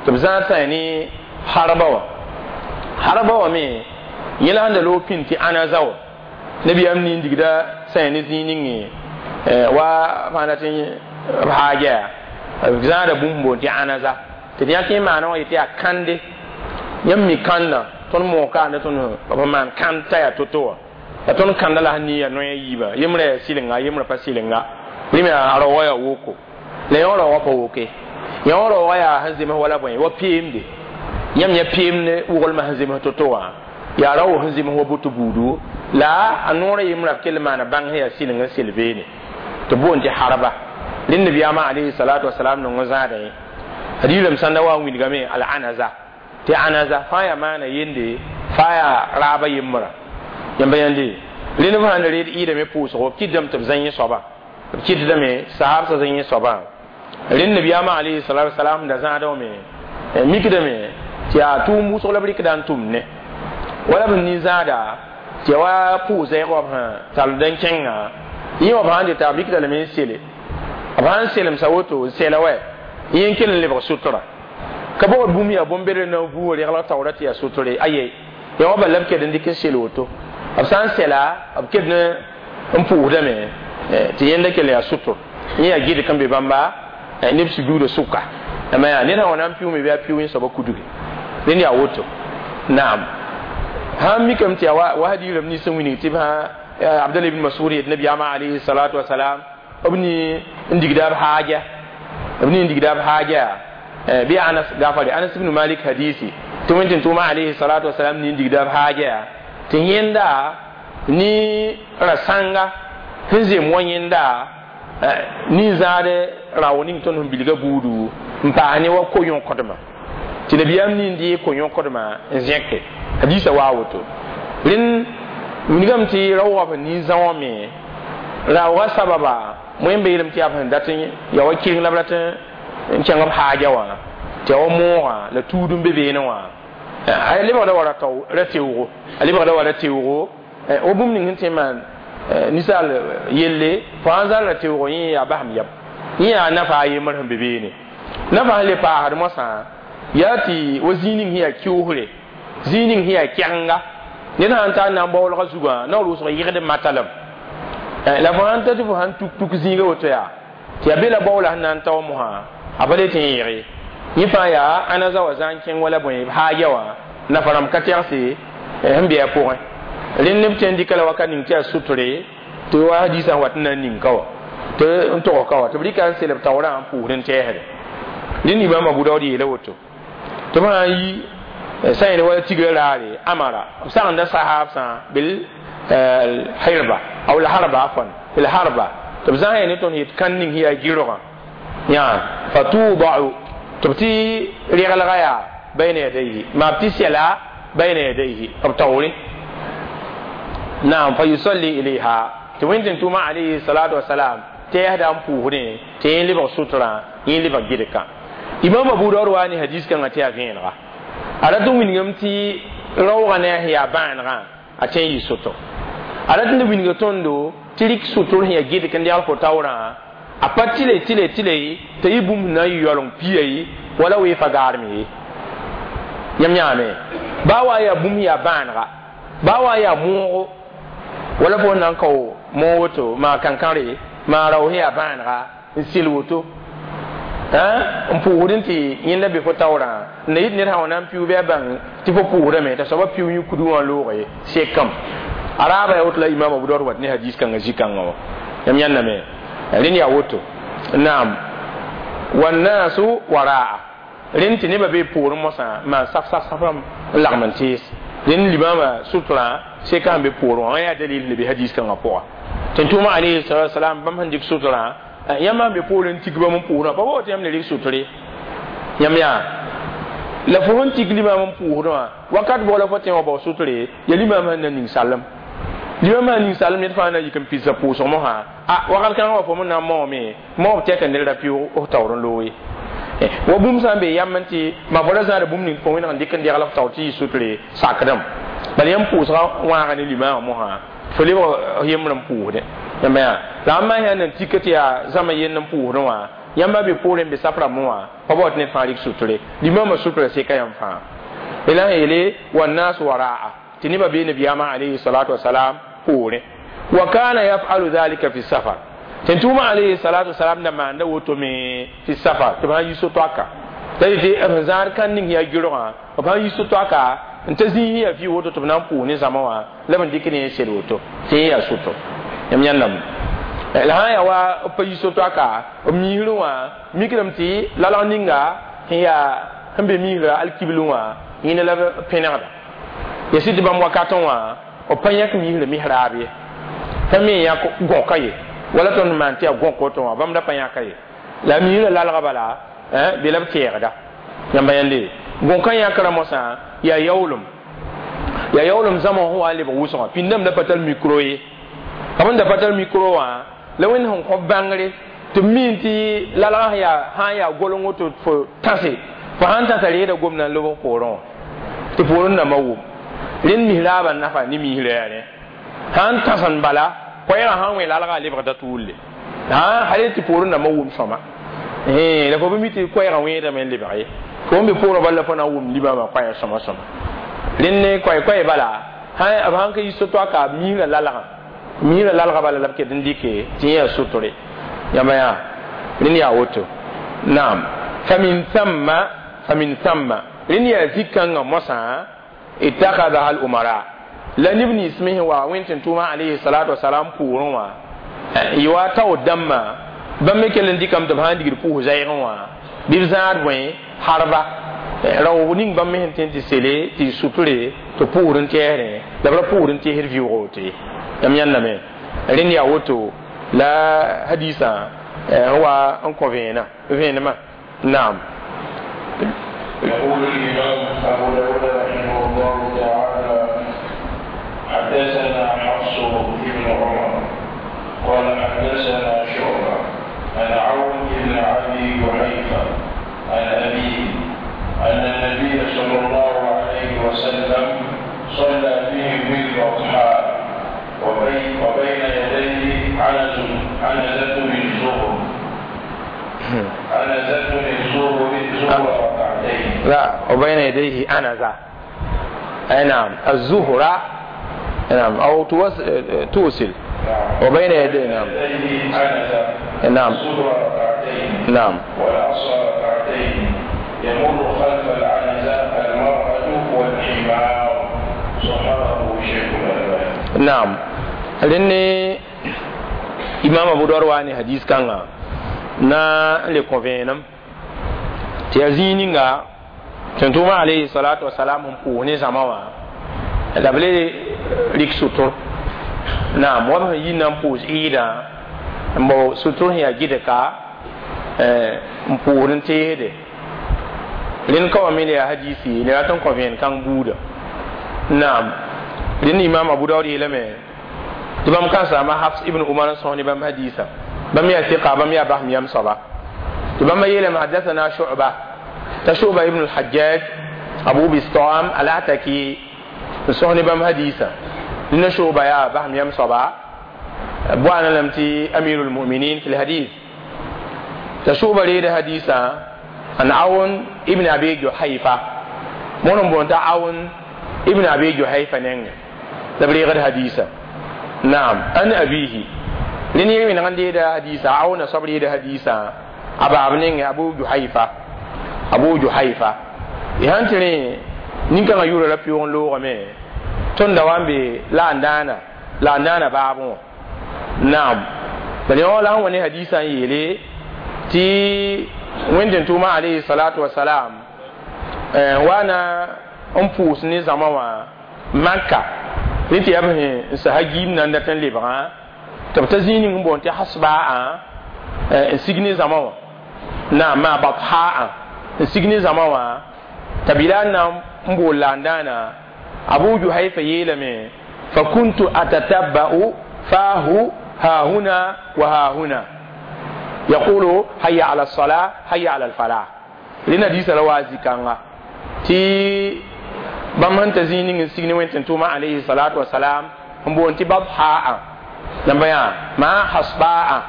Speaker 1: tɩ b zãad sã ne harba wã harba wã me yẽ la sẽn da loog pĩnd tɩ anaza wã nabiyaam nin digda sã ne zĩig ninge wa fãa tɩ b haaja yaa b zãada bũmb boond tɩ anaza tɩ d yãk yẽ maana wã yetɩ yaa kãnde yãmb mi kãnda tõnd moog kaanda tõnd b maan kãnd t'a yaa to-to wã la tõnd kãnda la sẽn nia noya yiibã yembrã yaa sɩlenga yembrã pa sɩlenga rẽm yaa raoogã yaa woko la yõ raoogã pa woke yõ raoogã yaa sẽn zems wala bõe wa peemde yãmb yã peemd woglmã sẽn zems to-to wã yaa rao sẽn zems wa boto buudu la a noorã yembrã b kell maana bãng sẽn yaa sɩleng n sel beene tɩ boond tɩ harba rẽnd nabiyaamã alayhi salatu wasalam nong n zãadã ye hadiisame sãnda wa n wilgame al anaza tɩ anaza fãa yaa maana yende fãa yaa raaba yembrã yãmba yãnde rẽnd b sãn da reed ɩɩdame pʋʋsgo b kɩtdame tɩ b zã yẽ soaba b kɩtdame sahabsã zã yẽ soabã rẽnd nabiyaamã alayhi salatu wasalam da zãada wã me mikdame tɩ yaa tʋʋm wʋsg la b rɩkda n tʋmd ne wala b nin-zãada tɩ ya wa pʋʋs-zɛɛg wã b sẽn tall n kẽnga yẽ wã b sãn deta b rɩkda lame n sele b sãn selemsa woto n sɛla wɛ yẽ n kell n lebg sotra ka bogd bũmb yaa bõn-bedr na n vuugã reglg taoora tɩ yaa sotre aye yã wã bala b ked n dɩk n sel woto b sã n sɛla b ked n pʋʋsdame tɩ yẽnda kell yaa sotr yẽ yaa gɩdg n be bãmba neb sujuudã sʋka ama yaa ned sã wa na n pɩʋʋme bɩ a pɩʋ yẽ soaba kudge rẽnd yaa woto naam sãn mikame tɩ yaa wa hadiisrãmb nins n wilg tɩ b sã abdallah ibn masud yet nabiyaamã alayhi salatu wasalam b ni n digda b haaja b ni n digda b haaja bɩ anas gafare anas ibn malik hadisi tɩ wẽn tɩ tʋʋma alayhi salatu wasalam ni n digda b haaja tɩ yẽnda ni ra sãnga sẽn zem wa yẽnda nin-zãad rao ning tõnd sẽn bilga buudu n paas ne wa ko-yõkdmã tɩ nabiyaam nin dɩ ko-yõkdmã n zẽke hadiisã waa woto rẽnd wilgame tɩ raoogã b sẽn nin-zã wã me raoogã sababa wẽn beelem tɩ yaa b sẽn dat n ya wa kɩreng la b rat n kẽng b haaja wã tɩ ya wa moogã la tuud n be beene wã a lebgda wa ra teoogo a lebgda wa ra teoogo wa bũmb ning sẽn tõe n maan ninsaal yelle fo sãn zãl ra teoogo yẽ yaa basem yam yẽ yaa nafa a yembr sẽn be beene nafa sẽn le paasd moasã Yaa tɩ wa zĩig ning sẽn yaa kiusre, zĩig ning sẽn yaa kɛgenga, ned sãn ta n na n baoolgã zugã naoor wʋsg yɩgd matalem. La fo sãn ta tɩ fo sãn tuk tuk zĩiga woto yaa tɩ yaa be la baoola sẽn na n tao mosã a pa le tɩ n yẽge yẽ fãa yaa ãna za wa zã n kẽng wala bõe haagya wã nafa rãmb ka tɛgse sẽn be a pʋgẽ. Rẽnd neb tõe n dɩka la wakat ning tɩ yaa sutre tɩ wa hadiisã wat n na n ning ka wã tɩ n tog ka wã tɩ b rɩka n sel b taoorã n pʋʋsd n tɛɛsde. Rẽnd imaam Abu Daood yeela woto tɩ b sã n yi sã yẽl wala tigrã raare amara b sagenda sahaabsã bil hirba aw la harba afwan bil harba tɩ b zãs ne tõnd yet kãn ning sẽn yaa gɩrgã yã fatudau tɩ b tɩ reglga yaa bayna yadayhi maa b tɩ sɛla bayna yadayhi b taoore naam fa yusalli ilayha tɩ wẽn-tẽn-tʋʋmã alayhi salatu wasalam tɛɛsda n pʋʋsdẽ tɩ yẽ lebg sutrã yẽ lebg gɩdka. Imam Abu Daud wa ne hadis kãngã tɩ yaa vẽenega a rat n wilgame tɩ raoogã ne a sẽn yaa bãanegã a tõe n yɩ sʋtɔ a rat n wilga tõndo tɩ rɩk sʋtr sẽn yaa gɩdk n degl fo taoorã a pa tɩle tɩle tɩle t'a yɩ bũmb sẽn na n yɩ yaooleng pia ye wala weefa gaarem ye. Yãmb yãame baa wa yaa bũmb sẽn yaa bãanega baa wa yaa moogo wala fo na n kao moog woto maa kãnkãre maa rao sẽn yaa bãanega n sel woto n pʋʋsd n tɩ yẽnda be fo taoorã n na yit ned sã wa na n piʋʋ bɩ a bãng tɩ fo pʋʋsdame t'a soaba piʋʋ yẽ kudu wã looge sekame a raaba yaa woto la imaam Abu Daud wat ne hadis kãngã zĩ-kãngã wã. Yãmb yãnname rẽnd yaa woto naam wannasu waraa rẽnd tɩ nebã bee poorẽ mosã maan saf saf safrãmb n lagm n tees rẽnd limaamã sutrã seka sẽn be poorẽ wã yaa dalil ne be hadis kãngã pʋga tɩ tʋʋma alayhi salatu wasalam bãmb sẽn dɩk sutrã yãmb sãn be poorẽ n tik bãmb n pʋʋsdã pa bao tɩ yãmb le rɩk sutre yãmb yaa la fo sẽn tik limaam n pʋʋsdẽ wã wakat bʋg la fo tẽ wã bao sutre ya limaam sẽn na ning salem limaam sãn ning salem ned fãa na yik n pidsa pʋʋsg mosã a wakat kãngã wã fo me na n maoome maoob tɛka ned ra pɩʋg f taoor n loog ye wa bũmb sã n be yam n tɩ ma fo ra zãada bũmb ning fo wẽneg n dɩk n degl f taoor tɩ yɩ sutre sakdame bala yãmb pʋʋsgã wãaga ne limaamã mosã fo lebg yembr n pʋʋsdẽ yãmba yaa la ãmb yaa nan tika tɩ yaa zãma yend n pʋʋsdẽ wã yãmba be poorẽ n be sap rãmbẽ wã pa bao tɩ ned fãa rɩk sutre limaamã sutra seka yãmb fãa la sẽn yeele wannas waraa tɩ nebã bee nabiyaamã alayhi salatu wasalam poorẽ wa kana yafalu dhalika fi safar tɩ tʋʋmã alayhi salatu wasalam da maanda woto me fi safar tɩ b sãn yi so-toaka la tɩ b zãad kãn ning yaa gɩrgã b sãn yi so-toaka n ta zĩig yaa fɩ woto tɩ b na n pʋʋs ne zãma wã la b n dɩk ne yẽ sel woto tɩ yẽ yaa sʋtɔ yãmb yãnname la sãn yaa wa b pa yi so-toaka b miisrẽ wã mikdame tɩ lalg ninga sẽn yaa sẽn be miisra alkiblẽ wã yẽnda la b pẽnegda ya sɩd tɩ bãmb wakatẽ wã b pa yãk miisrã misraab ye sẽn me yãk gõka ye wala tõnd maan tɩ yaa gõk woto wã bãmb da pa yãka ye la miisrã lalga bala be la b tɛɛgda yãmba yãnde gõka yãkrã mosã yaa yaoolem yaa yaoolem zãma sẽn wa n lebg wʋsgã pĩndame da pa tar mikro ye b sẽn da pa tar mikro wã la wẽnd sẽn kõ bãngre tɩ b miin tɩ lalgã sẽn yaa sã n yaa goleng woto fo tãse fo sãn tãsa reeda gomdã n leb poorẽ wã tɩ poorẽ dãmbã wʋm rẽnd misraabã nafa ne misrã yaa rẽ sãn tãsend bala koɛɛgã sãn wẽ lalgã a lebgda tʋʋlle hal tɩ poorẽ dãmbã wʋm sõma la fo bɩ mi tɩ koɛɛgã wẽedame n lebg ye fo n be poorẽ bala la fo na n wʋm limaamã koɛɛg sõma sõma rẽnd ne koɛ-koɛɛ bala b sãn ka yi so-toaka misrã lalgã misrã lalgã bala la b ket n dɩke tɩ yẽ yaa sutre yãmba yaa rẽnd yaa woto naam famin thamma famin thamma rẽnd yaa zĩ-kãngã mosã ittakhadaha al umara la neb nins me sẽn wa wẽn-tẽn-tʋʋmã alayhi salatu wasalam pʋʋrẽ wã yɩ wa taoor dãmbã bãmb me kell n dɩkame tɩ b sãn digd pʋʋs zɛɛgẽ wã bɩ b zãad bõe harba rao ning bãmb me sẽn tõe n tɩ sele tɩ sutre tɩ pʋʋsd n tɛɛsrẽ la b ra pʋʋsd n teesd vɩʋʋg woto ye yãmb yãnname rẽnd yaa woto la hadisã n wa n kõ vẽenã vẽenemã naam.
Speaker 2: يقول الإمام أبو داود رحمه الله تعالى حدثنا حفص بن عمر قال حدثنا شعبة عن عون بن أبي جحيفة عن أبيه أن النبي صلى الله عليه وسلم صلى بهم بالبطحاء وبين, وبين يديه عنز عنزة من زهر عنزة من زهر زهر ركعتين.
Speaker 1: لا وبين يديه أنزة أي نعم الزهرة نعم أو توس... توصل
Speaker 2: نعم
Speaker 1: وبين يديه نعم
Speaker 2: يديه عنزة
Speaker 1: نعم
Speaker 2: الظهر ركعتين
Speaker 1: نعم
Speaker 2: والعصر ركعتين يمر خلف العنزة المرأة والحمار صححه الشيخ الألباني
Speaker 1: نعم لأن imam abu dawud wa ne hadis kãnga na n le kõ vẽenem tɩ yaa zĩig ninga tẽn-tʋʋmã alayhi salatu wasalam sẽn pʋʋs ne zãma wã la b le rɩk sʋtr naam wa b sẽn yi na n pʋʋs ɩɩdã n bao sʋtr sẽn yaa gɩdka n pʋʋsd n teesde rẽnd ka wa me le yaa hadisi le rat n kõ vẽen kãng buuda naam rẽnd imam abu daud yeelame tɩ bãmb kãnsaama hafs ibn umar n sõs ne bãmb hadisa bãmb yaa sɩka bãmb yaa basem yam soaba tɩ bãmba yeelame hadathana shu'ba t'a shu'ba ibn al-hajjaj abu bistam al-ataki n sõs ne bãmb hadisa nina shu'ba yaa basem yam soaba boana lame tɩ amirul muminin fi lhadith t'a shu'ba reeda hadisa an awn ibn abi juhayfa mõn n boond t'a awn ibn abi juhayfa nengẽ la b reegd hadisa naam an abihi rẽnd yẽ wẽneg n deeda hadisa awna soab reeda hadisa a baab nengẽ abu juhayfa abu juhayfa y sãn tɩ rẽ nin-kãngã yʋʋra ra pɩʋg n loogame tõnd da wa n be la n dãana la n dãana baabẽ wã naam bala yõ la sẽn wa ne hadisa n yeele tɩ wẽnd-tʋʋma alayhi salatu wasalam wa na n pʋʋs ne zãma wã maka rẽ tɩ yaa b sẽn n sasa giim na n dat n lebgã tɩ b ta zĩig ning n boond tɩ hasbaa n sig ne zãma wã naam maa bathaa n sig ne zãma wã t'a bila n na n bool la n dãana abu juhayfa yeelame fa kuntu atatabba'u faahu haahuna wa haahuna yaqulu hayya ala الصلاة hayya ala الفلاح rẽnd hadiisa la waa zĩ-kãnga tɩ bãmb sẽn ta zĩig ning n sig ne wẽn-tẽn-tʋʋmã alayhi salatu wasalam n boond tɩ bathaa namba yaa maa hasbaa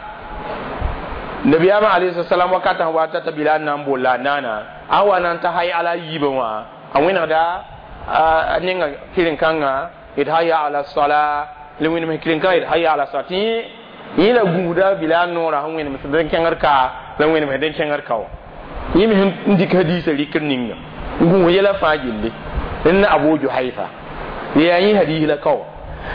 Speaker 1: nabiyaamã alayhi salam wakatã sẽn wa tata bila n na n bool la a naana a wa na n ta hay ala yiibã wã a wẽnegda a nenga kɩren-kãngã d hayya ala sala la wẽnem kɩren-kãngã d hayya ala sala tɩ yẽ la gũuda bila noorã sẽn wẽnem sẽn kẽngd ka la wẽnem sẽn kẽngd ka wã yẽ me sẽn dɩk hadiisã rɩkr ninga n gũus yɛla fãa gilli rẽnd na abu juhayfa yaa yẽ hadiis la ka wã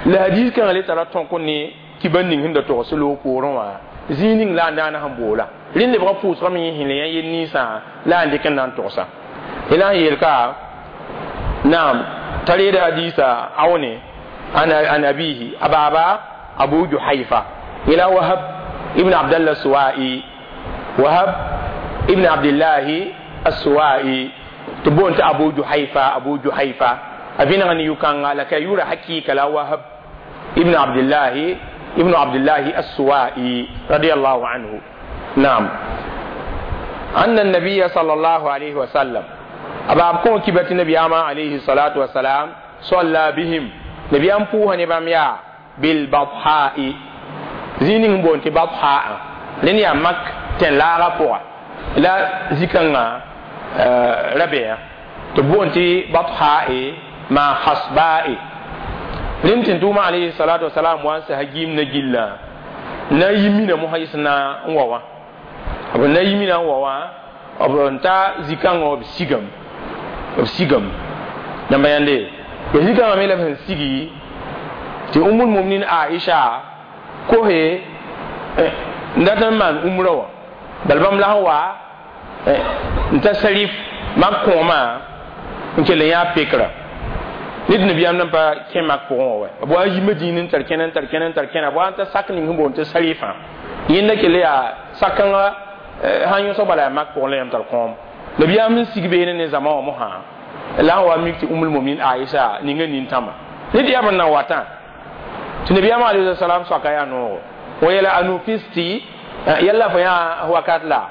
Speaker 1: la hadiis kãngã le tara tõk ne kiba ning sẽn da togs loog poorẽ wã zĩig ning la n daana sẽn boola rẽnd lebgã pʋʋsgame yẽ sẽn le yã yel ninsã la n dɩk n na n togsa la n yeel ka naam t'a reeda hadiisa awne an abihi a baaba abu juhayfa ila wahab ibn abdallah suwai wahab ibn abdillahi assuwai tɩ boond tɩ abu juhayfa abu juhayfa a vẽneg ne yʋ-kãnga la ka yʋʋra hakɩɩka la wahab ibn abdillahi ibn abdillahi assuwai radiallahu anhu naam أن النبي صلى الله عليه وسلم أبا أبكون كبت النبي عليه الصلاة والسلام صلى بهم نبي أم بوها نبام يا بالبطحاء زينين بون بطحاء لن يا مك تن لا رفوع لا زكنا ربيع تبون بطحاء ما حصباء لن تنتوما عليه الصلاة والسلام وانس هجيم نجيلا na yimina mo haisna nwawa b na yimina n wa wã b n ta zĩ-kãngã wã b sigame b sigame namba yãnde ya zĩ-kãngã me la b sẽn sigi tɩ umul muminin aisha kose n dat n maan umra wã bala bãmb la sẽn wa n ta sarif mak kõomã n kell n yaa pekra ned nabiyaam nan pa kẽ mak pʋgẽ wã wa b wa n yi madĩin n tar kẽna n tar kẽna n tar kẽna b wa n ta sak ning sẽn boond tɩ sarifã yẽnda kell yaa sak-kãngã sãn yõsg bala yaa mak pʋgẽ la yãmb tar kõom nabiyaam sẽn sig beene ne zãma wã mosã la sẽn wa mik tɩ umul muminin aisha ninga nintãmã ned yaa b n na watã tɩ nabiyaam alayhi salam soaka yaa noogo wa yɛla anufisti yalla fo yaa wakat la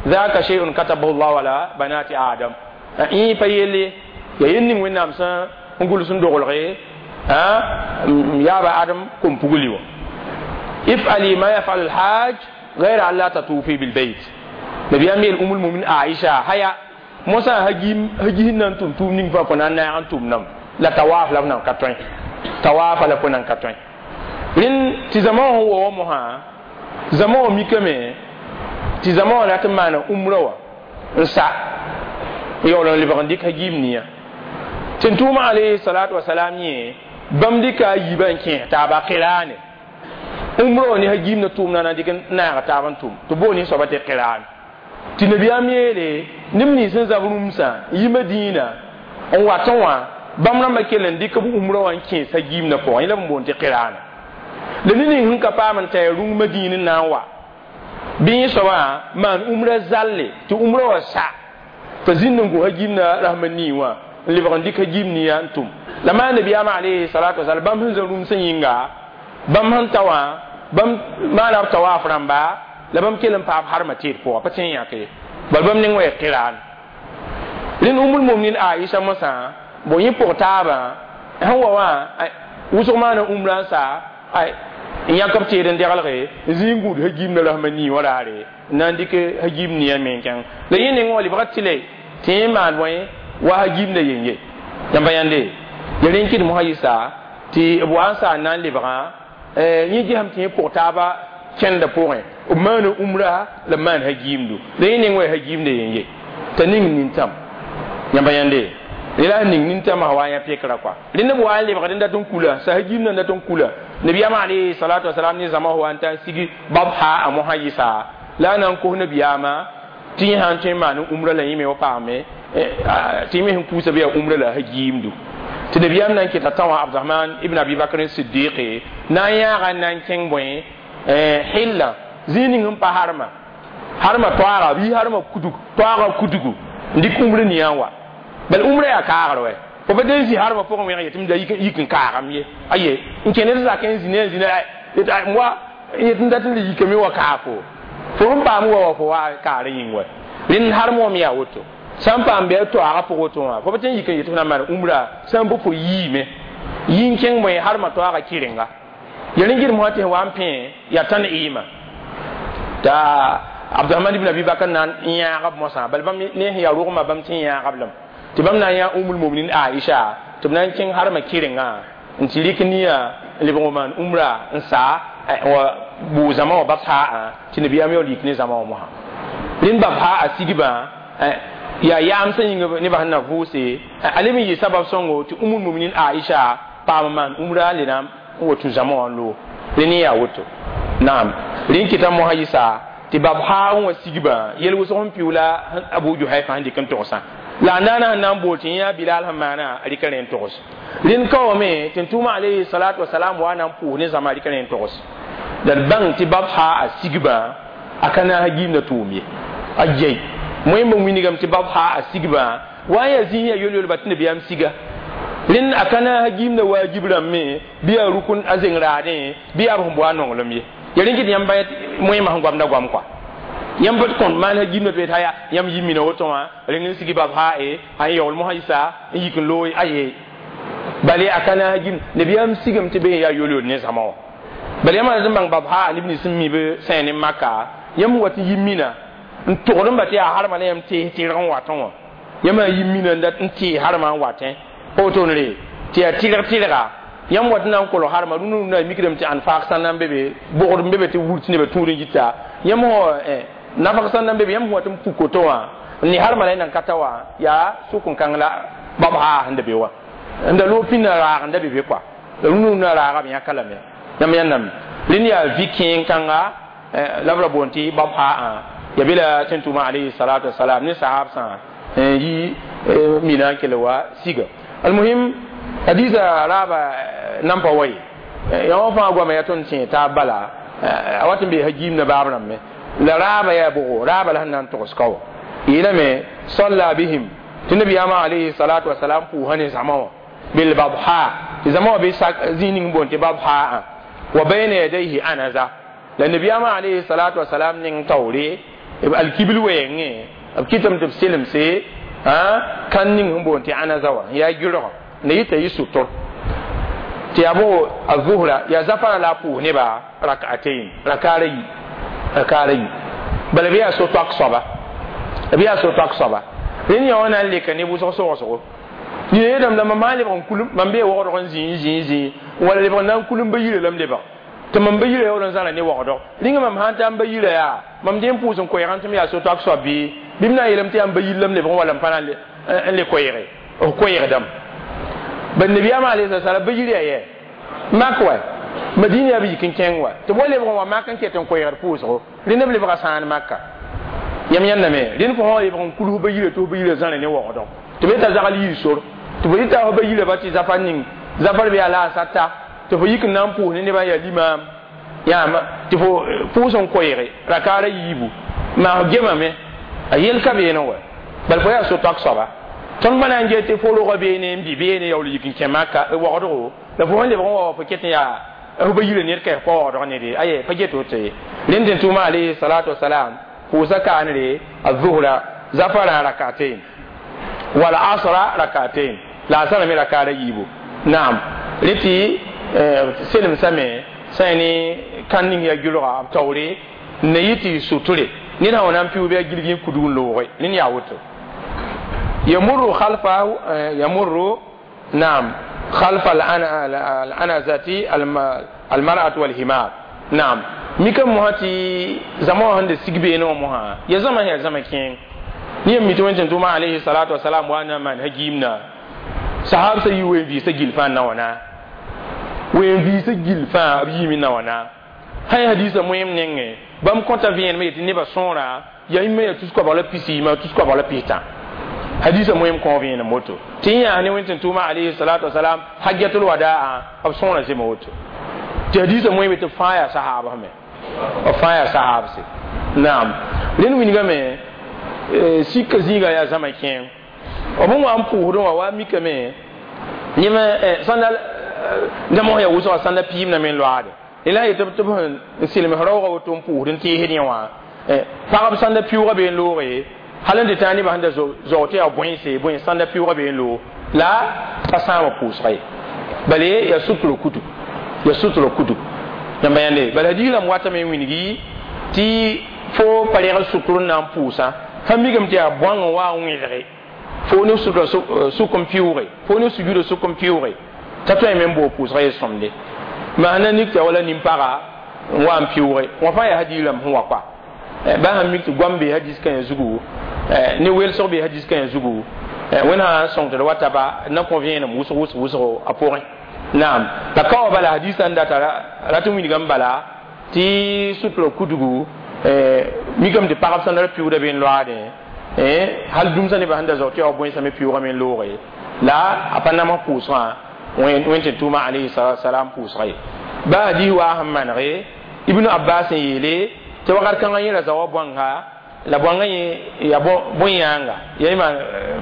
Speaker 1: ذاك شيء كتبه الله على بنات آدم إيه pa yelle ya yel ning wẽnnaam sẽn n gʋls n doglge yaaba adam kom pugli wã ifali ma yafal alhaj غير أن لا تطوفي بالبيت نبي أمير أم المؤمنين عائشة هيا Mosã hagiis na n tʋm tʋʋm ning fãa fo na n naag n tʋm nam la tawaaf la f nan ka tõe tawaafa la fo nan ka tõe rẽnd tɩ zãma wã sẽn wa wa mosã zãma wã mikame tɩ zãma wã rat n maana umra wã n sa n yaool n lebg n dɩk hagiim nia tɩ n tʋʋma alayhi salatu wasalam yẽ bãmb dɩka a yiibã n kẽes taaba qiraane umra wã ne hagiim na tʋʋmdã na dɩk n naaga taab n tʋm tɩ boon soaba tɩ qiraan tɩ nabiyaam yeele neb nins sẽn zab rũmsã n yi madiina n wat n wã bãmb rãmbã kell n dɩk b umra wã n kẽes hagiimdã pʋgẽ yẽ la b n boond tɩ qiraana la ne ning sẽn ka paam n tɩ rũng madiin n na n wa bɩ yẽ soabã maan umra zalle tɩ umra wã sa t'a zĩnd n gos hagiimdã rasma nii wã n lebg n dɩk hagiim nia n tʋm la maa nabiyaamã alayhi salatu wasalam bãmb sẽn zã rũmsã yĩnga bãmb sẽn ta wã bãmb maana b tawaaf rãmba la bãmb kell n paam harmã teed pʋga pa tõe n yãk ye bal bãmb neng wa ya qiraan rẽnd umul muminin Aisha mosã bo yẽ pʋg taabã sẽn wa wã wʋsg maana umra n sa n yãk b teed n degelge n zĩ n gũud hagiimdã rasma nii wã raare n na n dɩk hagiim nia me n kẽng la yẽ neng wã lebga tɩ le tɩ yẽ maan bõe wa hagiimdã yeng ye yãmba yãnde ya rẽn kɩd mosã yɩsa tɩ b wa n sa n na n lebgã yẽ gesem tɩ yẽ pʋg taaba kẽndã pʋgẽ b maana umra la b maan hagiimdu la yẽ neng wa ya hagiimdã yeng ye t'a ning nintãm yãmba yãnde la ning nintãmã wa yã pekra kɔa rẽnd b wa n lebgd n dat n kula sa hagiimdã n dat n kula nabiyaamã alayhi salatu wasalam ne zãma wa n ta n sigi babha a mosã yɩsa la a na n kos nabiyaamã tɩ yẽ sã n tõe n maan umra la yẽ me wa paame tɩ yẽ me sẽn kuusa bɩ yaa umra la hagiimdu tɩ nabiyaam na n keta tã wã Abdurahman ibn Abi Bakr Siddiqi na n yãaga n na n kẽng bõe hilla zĩig ning sẽn pa harma harma toaaga bɩ harma kudug toaaga kudugu n dɩk umra nia n wa bal umra yaa kaagr wɛ fo pa den zĩ harma pʋgẽ wẽg yetɩ m da yik n kaagam ye aye n kẽnd d zakẽ n zĩ ne n zĩ wa yet n dat n le yikame wa kaafo fo sẽn paam wa wa fo wa kaar yĩng wɛ rẽnd harm wã me yaa woto sã n paam bɩ a toaaga pʋg woto wã fo pa tõe n yik n yetɩ f na n maan umra sã n bɩ fo yiime yĩn kẽng bõe harma toaaga kɩrenga ya rẽn gɩd mosã tɩ wa n pẽ yaa tãn ɩɩma t'a Abdurahman ibn Abi Bakr na n yãag b mosã bal bãmb ne sẽn yaa rogmã bãmb tɩ n yãag b lame tɩ bãmb na n yã umul muminin Aisha tɩ b na n kẽng harmã kɩrenga n tɩ rɩk nia n lebg n maan umra n sa wa bʋʋ zãma wã babsaa tɩ nabiyaam yaool yik ne zãma wã mosã rẽnd babsaa a sigbã yaa yaam sẽn yĩng nebã sẽn na vʋʋse a leb n yɩ sabab sõngo tɩ umul muminin Aisha paam n maan umra le na n wa tũ zãma wã n loog rẽnd yaa woto naam rẽn kɩta mosã yɩsa tɩ babhaa n wa sigbã yel wʋsg n pɩʋ la Abu Juhayfa sẽn dɩk n togsã la a naana sẽn na n bool tɩ yã Bilal sẽn maana a rɩka rẽ n togs rẽnd ka wame tɩ n tʋʋma alayhi salatu wasalam wa na n pʋʋs ne zãma a rɩka rẽ n togs la d bãng tɩ babhaa a sigbã a ka naas giimdã tʋʋm ye a yei moẽmb n wilgame tɩ babhaa a sigbã wa n yaa zĩig yaa yol-yolba tɩ nabiyaam siga rẽnd a ka naas giimdã waajib rãmbẽ bɩ yaa rukn a zeng raadẽ bɩ yaa b sẽn boa nonglem ye ya rẽn kɩt yãmb moẽmã sẽn goamda goam kɔa yãmb b kõn maan hagiimdã tɩ ya yãmb yi mina woto wã reng n sigi babhaa e a n yaool mosã yɩsa n yik n loog aye bale a ka naas giim nabiyaam sigame tɩ be yaa yol-yol ne zãma wã bal yãmb n bãng babhaa neb nins sẽn mi b sẽen ne maka yãmb wat n yi mina n togd n ba tɩ yaa harmã la yãmb tees tɩrg n watẽ wã yãmb a yi mina n dat n tee harmã n watẽ pa wotone tɩ yaa tɩrg tɩrga yãmb wat n na n kolg harmã rũndã rũndã a mikdame tɩ anfaak sã n na n be be bogd n be be tɩ wur tɩ nebã tũud n yita yãmb nafg sã n na n be be yãmb sẽn wat n puk woto wã n ne harmã la y nan ka ta wã yaa sʋk n kãng la babhaa sẽn da be wã n da loog pĩndã raag n da be be kɔa la rũndã rũndã raaga b yãka lame yãmb yãndame rẽnd yaa vi kẽen kãnga la b ra boond tɩ babhaa ya be la tẽn tʋʋma alayhi salatu wasalam ne sahab sã n yi mina n kell wa siga almuhim hadisa raaba nan pa wa ye yã wã fãa goama yaa tõnd tẽ taab bala a wat n bee hagiimdã baab rãmbẽ la raaba yaa bʋgo raaba la sẽn na n togs ka wa yeelame salla bihim tɩ nabiyaamã alayhi salatu wasalam pʋʋsã ne zãma wã bilbabha tɩ zãma wã be zĩig ning boond tɩ babhaa wa bayna yadayhi anaza la nabiyaamã alayhi salatu wasalam ning taoore alkibil wɛɛngẽ b kɩtame tɩ b selemse kan ning sẽn boond tɩ anaza wã yaa gɩrgã la yita yɩ sʋtr tɩ yaa bo a zuhra yaa zafara la a pʋʋs nebã rak'atain rakaara yi rakaara yi bala bɩ yaa so-toak soaba b yaa so-toak soaba rẽnd yã wã na n leka ne wʋsg sogsgo nina yeelame la mam maa lebg n kulum mam bee waoodg n zĩig zĩig zĩig wala lebg n na n kulum ba yirã la m lebg tɩ mam ba yirã yaool n zãla ne waoodg rĩnga mam sã n taa n ba yirã yaa mam dẽ n pʋʋs n koɛɛgã tɩ m yaa so-toak soab bɩ bɩ m na n yeelame tɩ yaa n ba yir la m lebg n wala m pa na n le koɛɛge f koɛɛgdame bad nabiyaamã alayhi salam ba yir yaa yɛ mak wa madina yaa b yik n kẽng wa tɩ b wa lebg n wa mak n ket n koɛɛgd pʋʋsgo rẽnd b lebga sãan maka yãmb yãndame rẽnd fo sã lebg n kulg ba yirã tɩ f ba yirã zãra ne waoodg tɩ b yeta zagl yir sor tɩ fo yita f ba yirã ba tɩ zafar ning zafar bɩ yaa la a sata tɩ fo yik n na n pʋʋs ne nebã yaa limaam yãama tɩ fo pʋʋs n koɛɛge rakaara yiibu maa f gemame a yel ka beene wa bala fo yaa so-toak soaba tõnd pa na n get tɩ fo rogã beene n bɩ beene yaool yik n kẽ maka waoodgo la fo sẽn lebg n wa fo ket n yaa f ba yirã ned ka pa waoodg nede aye pa get woto ye rẽnd tɩ tʋʋma alayhi salatu wasalam pʋʋsa kaanre الظهر زفر ركعتين والعصر ركعتين لا سنة من ركعة يبو نعم لتي سلم سمي سيني كان نين يا جلوغا توري نيتي سوتوري نينا ونام بيو بيا جلجين كدون لوغي نين يا وتو يمر خلفه يمر نعم خلف الأنازة المرأة والحمار نعم mika moha tɩ zãma wã sẽn de sig beene wã mosã ya zãma ya zãma kẽeng ne yam mi tɩ wẽn tʋʋma alayhi salatu wasalam wa na n maan hagiimna sahab sa yi wen vɩɩsã gill fãa n na wãna wen vɩɩsã gill fãa b yiime na wãna sã hadisa moẽem nengẽ bãmb kõta vẽenemã yetɩ nebã sõora yaa yĩmã yaa tus koabg la pisi ma tus koabg la pistã hadisa moẽem kõ vẽenem woto tɩ yã yaa ne wẽn tɩ tʋʋma alayhi salatu wasalam hajjatul wadaa b sõora zema woto tɩ hadisa moẽem tɩ fãa yaa sahaabs me b fãa yaa sahaabse naam rẽnd wilgame sika zĩiga yaa zãma kẽeng b n wa n pʋʋsdẽ wã wa mikame yẽme sãnda dãmb yaa wʋsga sãnda piim na me n loaade la yetɩ tɩ b sẽn sɩlms raoogã woto n pʋʋsd n teesd yẽ wã pagb sãnda piʋʋgã bee n looge hal n tɩ tãag nebã sẽn da zaoog tɩ yaa bõense bõe sãnda piʋʋgã bee n loog la pa sãama pʋʋsga ye bala yaa sʋtr kutu yaa sʋtr kutu yãmba yãnde bala hadiis rãmb watame n wilgi tɩ fo pa reg sʋtr n na n pʋʋsã sã mikame tɩ yaa bõang n wa n wẽlge fo ne sʋtra sʋk n pɩʋʋge fo ne sujuudã sʋk n pɩʋʋge t'a tõe me n boog pʋʋsga ye sõmde maana nik tɩ wala nin-paga n wa n pɩʋʋge wã fãa yaa hadiis rãmb sẽn wa koa ba sãn mik tɩ goam bee hadiis kãyã zugu ne welsg bee hadiis kãyã zugu wẽnd sã n sõng tɩ d wa taba na kõ vẽenem wʋsg wʋsg wʋsgo a pʋgẽ naam la ka wa bala hadisa n data rat n wilgame bala tɩ sutura kudgu mikame tɩ pagb sãn da pɩʋʋda be n loaadẽ hal dũmsã nebã sẽn da zao tɩ yaa bõensã me pɩʋʋgame n looge la a pa nams pʋʋsgã wẽn tɩ tʋʋma alayhi salatu wasalam pʋʋsga ye ba hadis waa sẽn manege ibnu abbas n yeele tɩ wakat kãngã yẽ ra zaoa bõanga la bõangã yẽ yaa bõe-yãanga yaa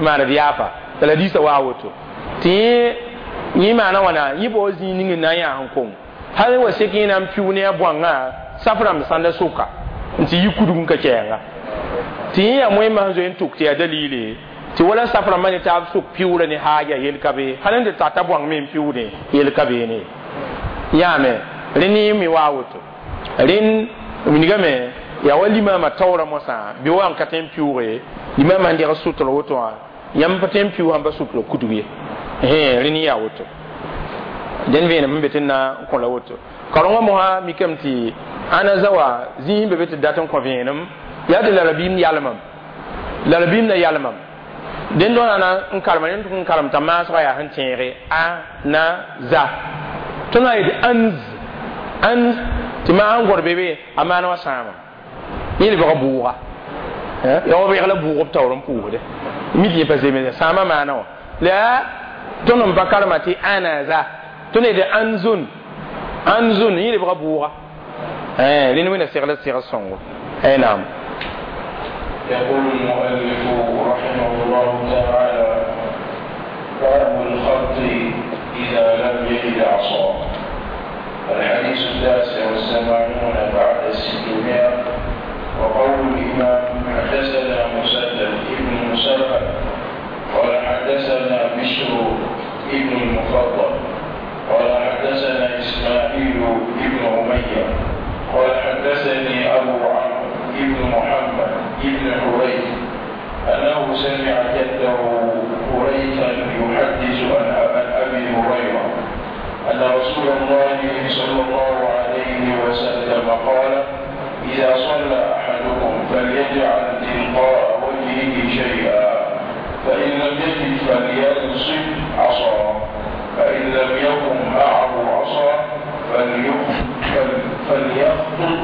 Speaker 1: maaned yaafa la hadisã waa woto tɩ yẽ yẽ maana wãna yẽ bao zĩig ning n na n yaa n kong hal wa sek yẽ na n pɩʋ ne a bõangã saf rãmb sãnda sʋka n tɩ yi kudg n ka kɛɛnga tɩ yẽ yaa moẽmã sẽn zoe n tʋk tɩ yaa dalile tɩ wala saf rãmbã ne taab sʋk pɩʋʋra ne haaja yel ka be hal n tɩ tata bõang me n pɩʋʋdẽ yel ka beene yaame rẽnd yẽ me waa woto rẽnd wilgame yaa wa limaamã taoorã mosã bɩ wa n ka tõe n pɩʋʋge limaamã sẽn deg sʋtr woto wã yãmb pa tõe n pɩʋʋg sãn pa sʋtra kudg ye rẽnd yaa woto dẽn vẽenem sẽn be tɩ na n kõ la woto karengã mosã mikame tɩ ãna zawa zĩig sẽn be be tɩ dat n kõ vẽenem yaa tɩ la rabiim yalmam la rabiim na yalmam dẽnd tõnd na n karema rẽnd tʋk n karem t'a maasgã yaa sẽn tẽege a na za tõnd na yetɩ anz anz tɩ maa sẽn gõd be be a maan wã sãama yẽ lebga bʋʋga yaa wa bɩg la bʋʋg b taoor n pʋʋsde mi tɩ yẽ pa zems sãama maana wã la tõnd n pa karema tɩ ana za tõnd yetɩ anzun anzun yẽ lebga bʋʋga rẽnd wẽnna segl segl sõngo naam
Speaker 2: يقول المؤلف رحمه الله تعالى باب الخط إذا لم يجد عصا الحديث التاسع والثمانون بعد الستمائة وقول الإمام حدثنا مسدد ابن مسرهد قال حدثنا بشر ابن المفضل قال حدثنا إسماعيل ابن أمية قال حدثني أبو عمرو ابن محمد ابن حريث أنه سمع جده هريثا يحدث عن أبي هريرة أن رسول الله صلى الله عليه وسلم قال: إذا صلى أحدكم فليجعل تلقاء وجهه شيئا، فإن لم يجد فلينصب عصا، فإن لم يكن معه عصا فليخطط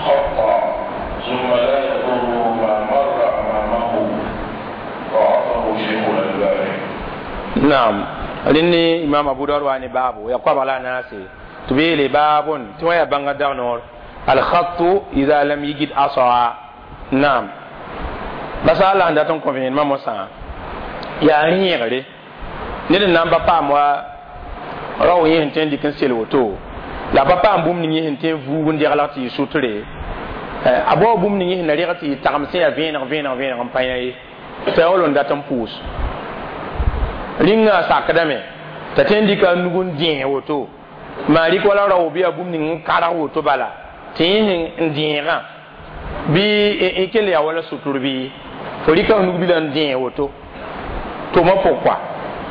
Speaker 2: خطا، ثم لا يضره ما مر أمامه. ضعفه شيخ الألباني.
Speaker 1: نعم، لأني إمام أبو داود واني بابو يقوم على ناسي تبيلي باب توايا بانغ دانور الخط إذا لم يجد عصا. نعم، بس الله عندها تنكون ما مسا يا ريغري ned n na n pa paam wa rao yẽ sẽn tõe n dɩk n sel woto la pa paam bũmb ning yẽ sẽn tõe n vuug n deglg tɩ yɩ sutre a bao bũmb ning yẽ sẽn na reg tɩ yɩ tagem sẽn yaa vẽeneg vẽeneg vẽeneg n pa yã ye t'a yaool n dat n pʋʋs rĩngã a sakdame t'a tõe n dɩka a nug n dẽes woto maa rɩk wala rao bɩ yaa bũmb ning n karg woto bala tɩ yẽ sẽn dẽegã bɩ n kell yaa wala sutur bɩ fo rɩka f nug bila n dẽes woto tʋmã pʋg kɔa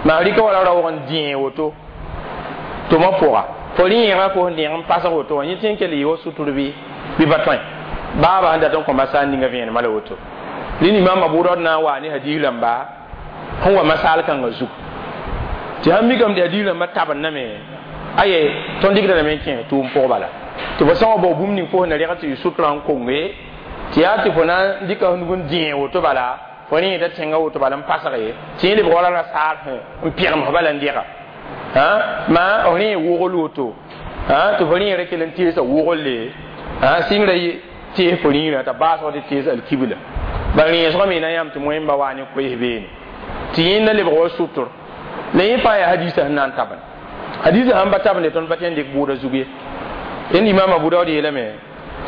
Speaker 1: maa rɩka wala raoog n dẽe woto tʋmã pʋga fo rẽegã fo sẽn dẽeg n pasg woto wã yẽ tõe n kell yɩ wa sutur bɩ bɩ pa tõe baaba sẽn dat n kõ masaal ninga vẽenemã la woto rẽnd imam Abu Dawud na n waa ne hadiis rãmba sẽn wa masaal kãngã zug tɩ sãn mikame tɩ hadiis rãmbã tabendame aye tõnd dɩkda lame n kẽes tʋʋm pʋg bala tɩ fo sã n wa bao bũmb ning fo sẽn na reg tɩ yɩ sutrã n konge tɩ yaa tɩ fo na n dɩka f nug n dẽe woto bala fo rẽeda tẽngã woto bala n pasge tɩ yẽ lebg wala rasaar n pẽgems bala n dega maa f rẽ wogl woto tɩ fo rẽera kell n teesa wogle sɩngrã tees fo rĩirã t'a baasg tɩ tees alkibla bala rẽesgã me na yãmb tɩ moẽmba waa ne koees beene tɩ yẽnda lebg wa sʋtr la yẽ fãa yaa hadiisã sẽn na n tabend hadiisã sãn pa tabende tõnd pa tõe n dɩk bʋʋda zug ye rẽnd imam Abu Dawud yeelame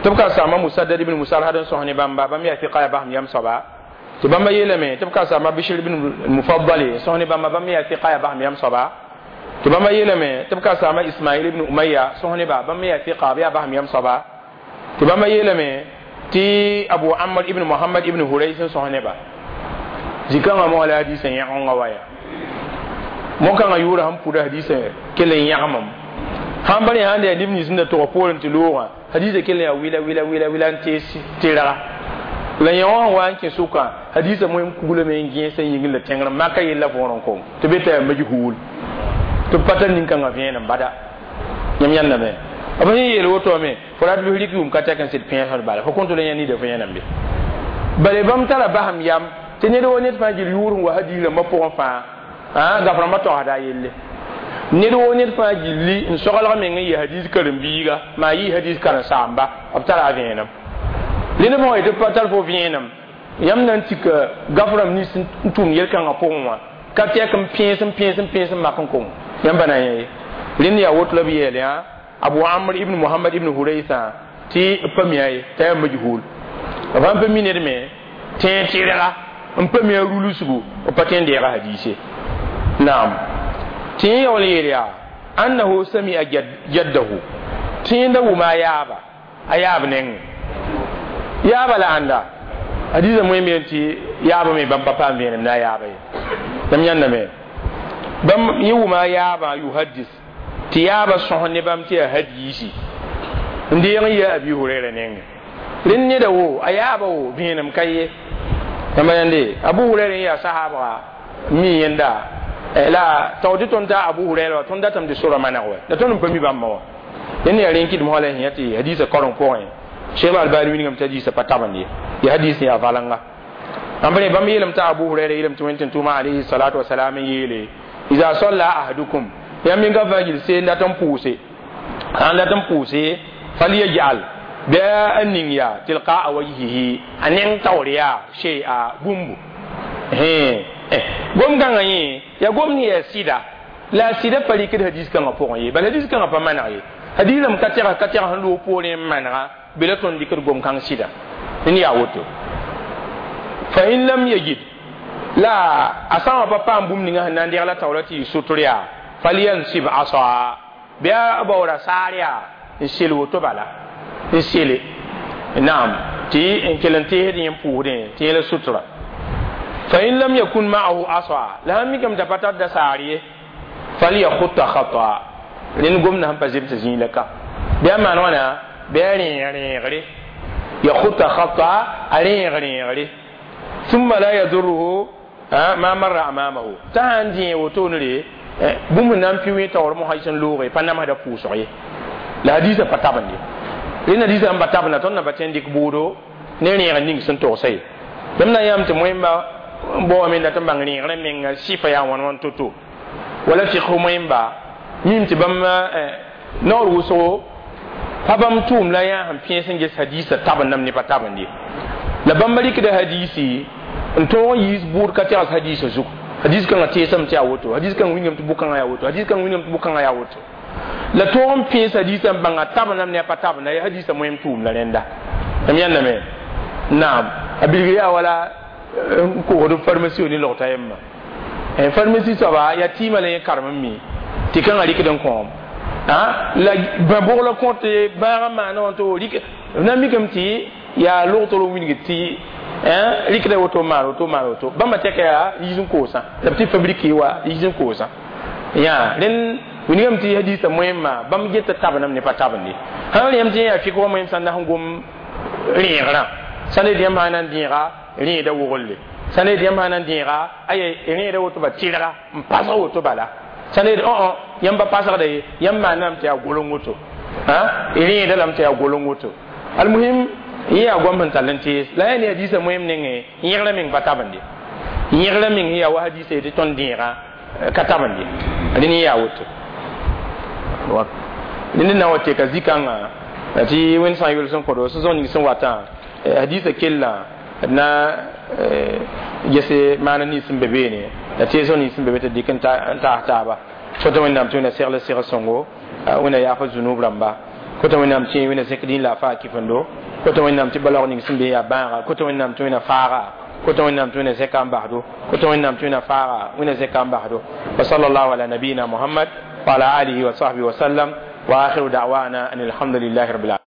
Speaker 1: tɩ b ka saama Musaddad ibn Musarhad n sõs ne bãmba bãmb yaa fiqa yaa basem yam soaba tɩ bãmba yeelame tɩ b ka saama Bishr ibn Mufaddal sõs ne bãmba bãmb yaa fiqa yaa basem yam soaba tɩ bãmba yeelame tɩ b ka saama Ismail ibn Umayya sõs ne ba bãmb yaa fiqa b yaa basem yam soaba tɩ bãmba yeelame tɩ Abu Amr ibn Muhammad ibn Hurays n sõs ne ba zikãngã moa la hadiisã yãgenga wa yaa mo-kãngã yʋʋra sẽn pʋda hadiisã kell n yãgemem sãn pa rẽ sãn da yaa neb nins sẽn da tog poorẽ tɩ loogã hadiisã kell n yaa wila wila wila wila n tees tɩrga la yẽ wã sẽn wa n kẽ sʋkã hadiisã moẽm kuglame n gẽes n yĩngr la tẽngr maka yella võor n kong tɩ be t'a yaa majhuul tɩ b pa tar nin-kãngã vẽenem bada yãmb yãndame b sẽn yeel woto me fo rat bɩ rɩk yʋʋm ka tɛk n sɩd pẽesd bala fo kõn tɩ la yã nida fo yẽnam be bale bãmb tara basem yam tɩ ned wo ned fãa gil yʋʋr n wa hadiis rãmbã pʋgẽ fãa gaf rãmbã togsda a yelle ned wo ned fãa gilli n soglg meng n yɩ hadiis karen-biiga maa yɩ hadiis karen-saamba b tara a vẽenem rẽnd b sã yetɩ pa tar fo vẽenem yãmb na n tik gaf rãmb nins n tʋm yel-kãngã pʋgẽ wã ka tɛk n pẽes n pẽes n pẽes n mak n kong yãmb pa na n yã ye rẽnd yaa woto la b yeel yã Abu Amr ibn Muhammad ibn Huraysa tɩ b pa mi-a ye t'a yaa majhuul b sãn pa mi ned me tẽeg tɩrga n pa mi a rulsgu b pa tõe n deega hadiise naam tɩ yẽ yaool n yeel yaa annahu sami'a jaddahu tɩ yẽnda wʋma a yaaba a yaab nengẽ yaaba la ãnda hadiisã moẽ me tɩ yaabã me bãmb pa paam vẽenem na a yaaba ye yãmb yãndame bãmb yẽ wʋma a yaabã yuhaddis tɩ yaabã sõs ne bãmb tɩ yaa hadiisi n deeg n yɩ a Abi Hurayra nengẽ rẽnd neda wo a yaabã wo vẽenem ka ye yãmba yãnde Abu Hurayra n yaa sahaabga mi yẽnda la tao tɩ tõnd taa Abu Hurayra wa tõnd datame tɩ sora maneg wɛ la tõnd n pa mi bãmba wã rẽnd yaa rẽn kɩdem la sẽn yã tɩ hadiisã kareng pʋgẽ Cheikh Albani wilgame tɩ hadiisã pa tabend ye ya hadiis yaa valenga ãmb rẽ bãmb yeelame t'a Abu Hurayra yeelame tɩ wẽn tʋʋma alayhi salatu wasalam n yeele iza salla ahadukum yãmb meng ka fãa gil seen dat n pʋʋse sãn dat n pʋʋse falyajal bɩ a ning yaa tilqaa wajhihi a neng taoor yaa shay'a bũmbu gom kãngã yẽ yaa gom ne yaa sɩda la a sɩda pa rɩkd hadiis kãngã pʋgẽ ye bala hadiis kãngã pa maneg ye hadiis rãmb ka tɛgs ka tɛgs n loog poorẽ n manega bɩ la tõnd dɩkd gom kãng sɩda n yaa woto fa in lam yajid la a sã wã pa paam bũmb ninga sẽn na n degla taoora tɩ yɩ sʋtr yaa falyansib asa bɩ a baoora saar yaa n sel woto bala n sele naam tɩ n kell n teesd yẽ n pʋʋsdẽ tɩ yẽla sutra Fa in lam yakun ma'ahu asa, la sãn mikame t'a pa tar da saar ye, falyakhutta khata. Rẽnd gomdã sẽn pa zems zĩig la ka bɩ a maan wãna, bɩ a rẽeg rẽegre, yakhutta khata, a rẽeg rẽegre. Thumma la yadurruhu ma marra amamahu, t'a sãn dẽ wotone re, bũmb na n pɩ wẽ taoor mosã sẽn looge pa namsda pʋʋsg ye. La hadiisã pa tabend ye. Rẽnd hadiisã sẽn pa tabenda, tõnd na pa tõe n dɩk bʋʋdo ne rẽeg ning sẽn togsa ye. Bãmb na n yãam tɩ moẽmba n baoame n dat n bãng rẽegrã menga sɩfa yaa wãn wãn to-to, wala fiqh moẽmba mim tɩ bãmb naoor wʋsgo pa bãmb tʋʋm la yaa sẽn pẽes n ges hadiisã tabendame ne pa tabend ye. La bãmba rɩkda hadiisi n tõog n yiis bʋʋd ka tegs hadiisã zug. Hadis kãngã teesame tɩ yaa woto, hadis kãng wingame tɩ bʋ-kãngã yaa woto, hadis kãng wingame tɩ bʋ-kãngã yaa woto. La tõog n pẽes hadiisã n bãnga tabendame ne a pa tabenda ya hadiisã moẽm tʋʋm la rẽnda. M yãndame naam, a bilgr yaa wala n kosd pharmacie ne logta yemma. Pharmacie soaba yaa tɩɩmã la yẽ karem n mi tɩ kãngã rɩkd n kõom la bã bogla kõt bãag n maana wã to rɩk na n mikame tɩ yaa logtr n wilg tɩ rɩkda woto maan woto maan woto. Bãmba tɛka yaa yiis n koosã la b tɩ fabrique wa yiis n koosã yã. Rẽnd wilgame tɩ hadiisã moẽmma bãmb geta tabendame ne pa tabende. Sãn rẽm tɩ yaa fɩk wa moẽm sã n na sẽn gom rẽegrã, sã ne yãmb sã n na n dẽega rẽeda woglle, sã ne yãmb sã n na n dẽega aya rẽeda woto ba tɩrga n pasg woto bala, sã ne õ yãmb pa pasgda ye, yãmb maaname tɩ yaa goleng woto, rẽeda lame tɩ yaa goleng woto. Almuhim, yẽ yaa goam sẽn tall n tees la yaa ne hadiisã moẽm nengẽ yẽgrã meng pa tabende. Yẽgrã meng yaa wa hadiisã yetɩ tõnd dẽega ka tabende. Rẽnd yẽ yaa woto. Rẽnd na wa teka zikãngã tɩ wẽnd sã n yʋls n kõdo sẽn zõ ning sẽn watã hadiisã kellã na gese maana nins sẽn be beene, la teesg nins sẽn be be tɩ dɩk n taas taaba. Kota Wẽnnaam tɩ Wẽnna segl seg sõngo, Wẽnna yaafa zunub rãmba. Kota Wẽnnaam tɩ Wẽnna zẽk dĩn la a faa kɩfendo. Kota Wẽnnaam tɩ balaoog ning sẽn be yaa bãaga. Kota Wẽnnaam tɩ Wẽnna faaga. Kota Wẽnnaam tɩ Wẽnna zẽka n basdo. Kota Wẽnnaam tɩ Wẽnna faaga, Wẽnna zẽka n basdo. Wa sallallahu ala nabiyina Muhammad wa ala alihi wa sahbihi wa sallam, wa akhiru da'wana an alhamdulillahi rabbil alamin.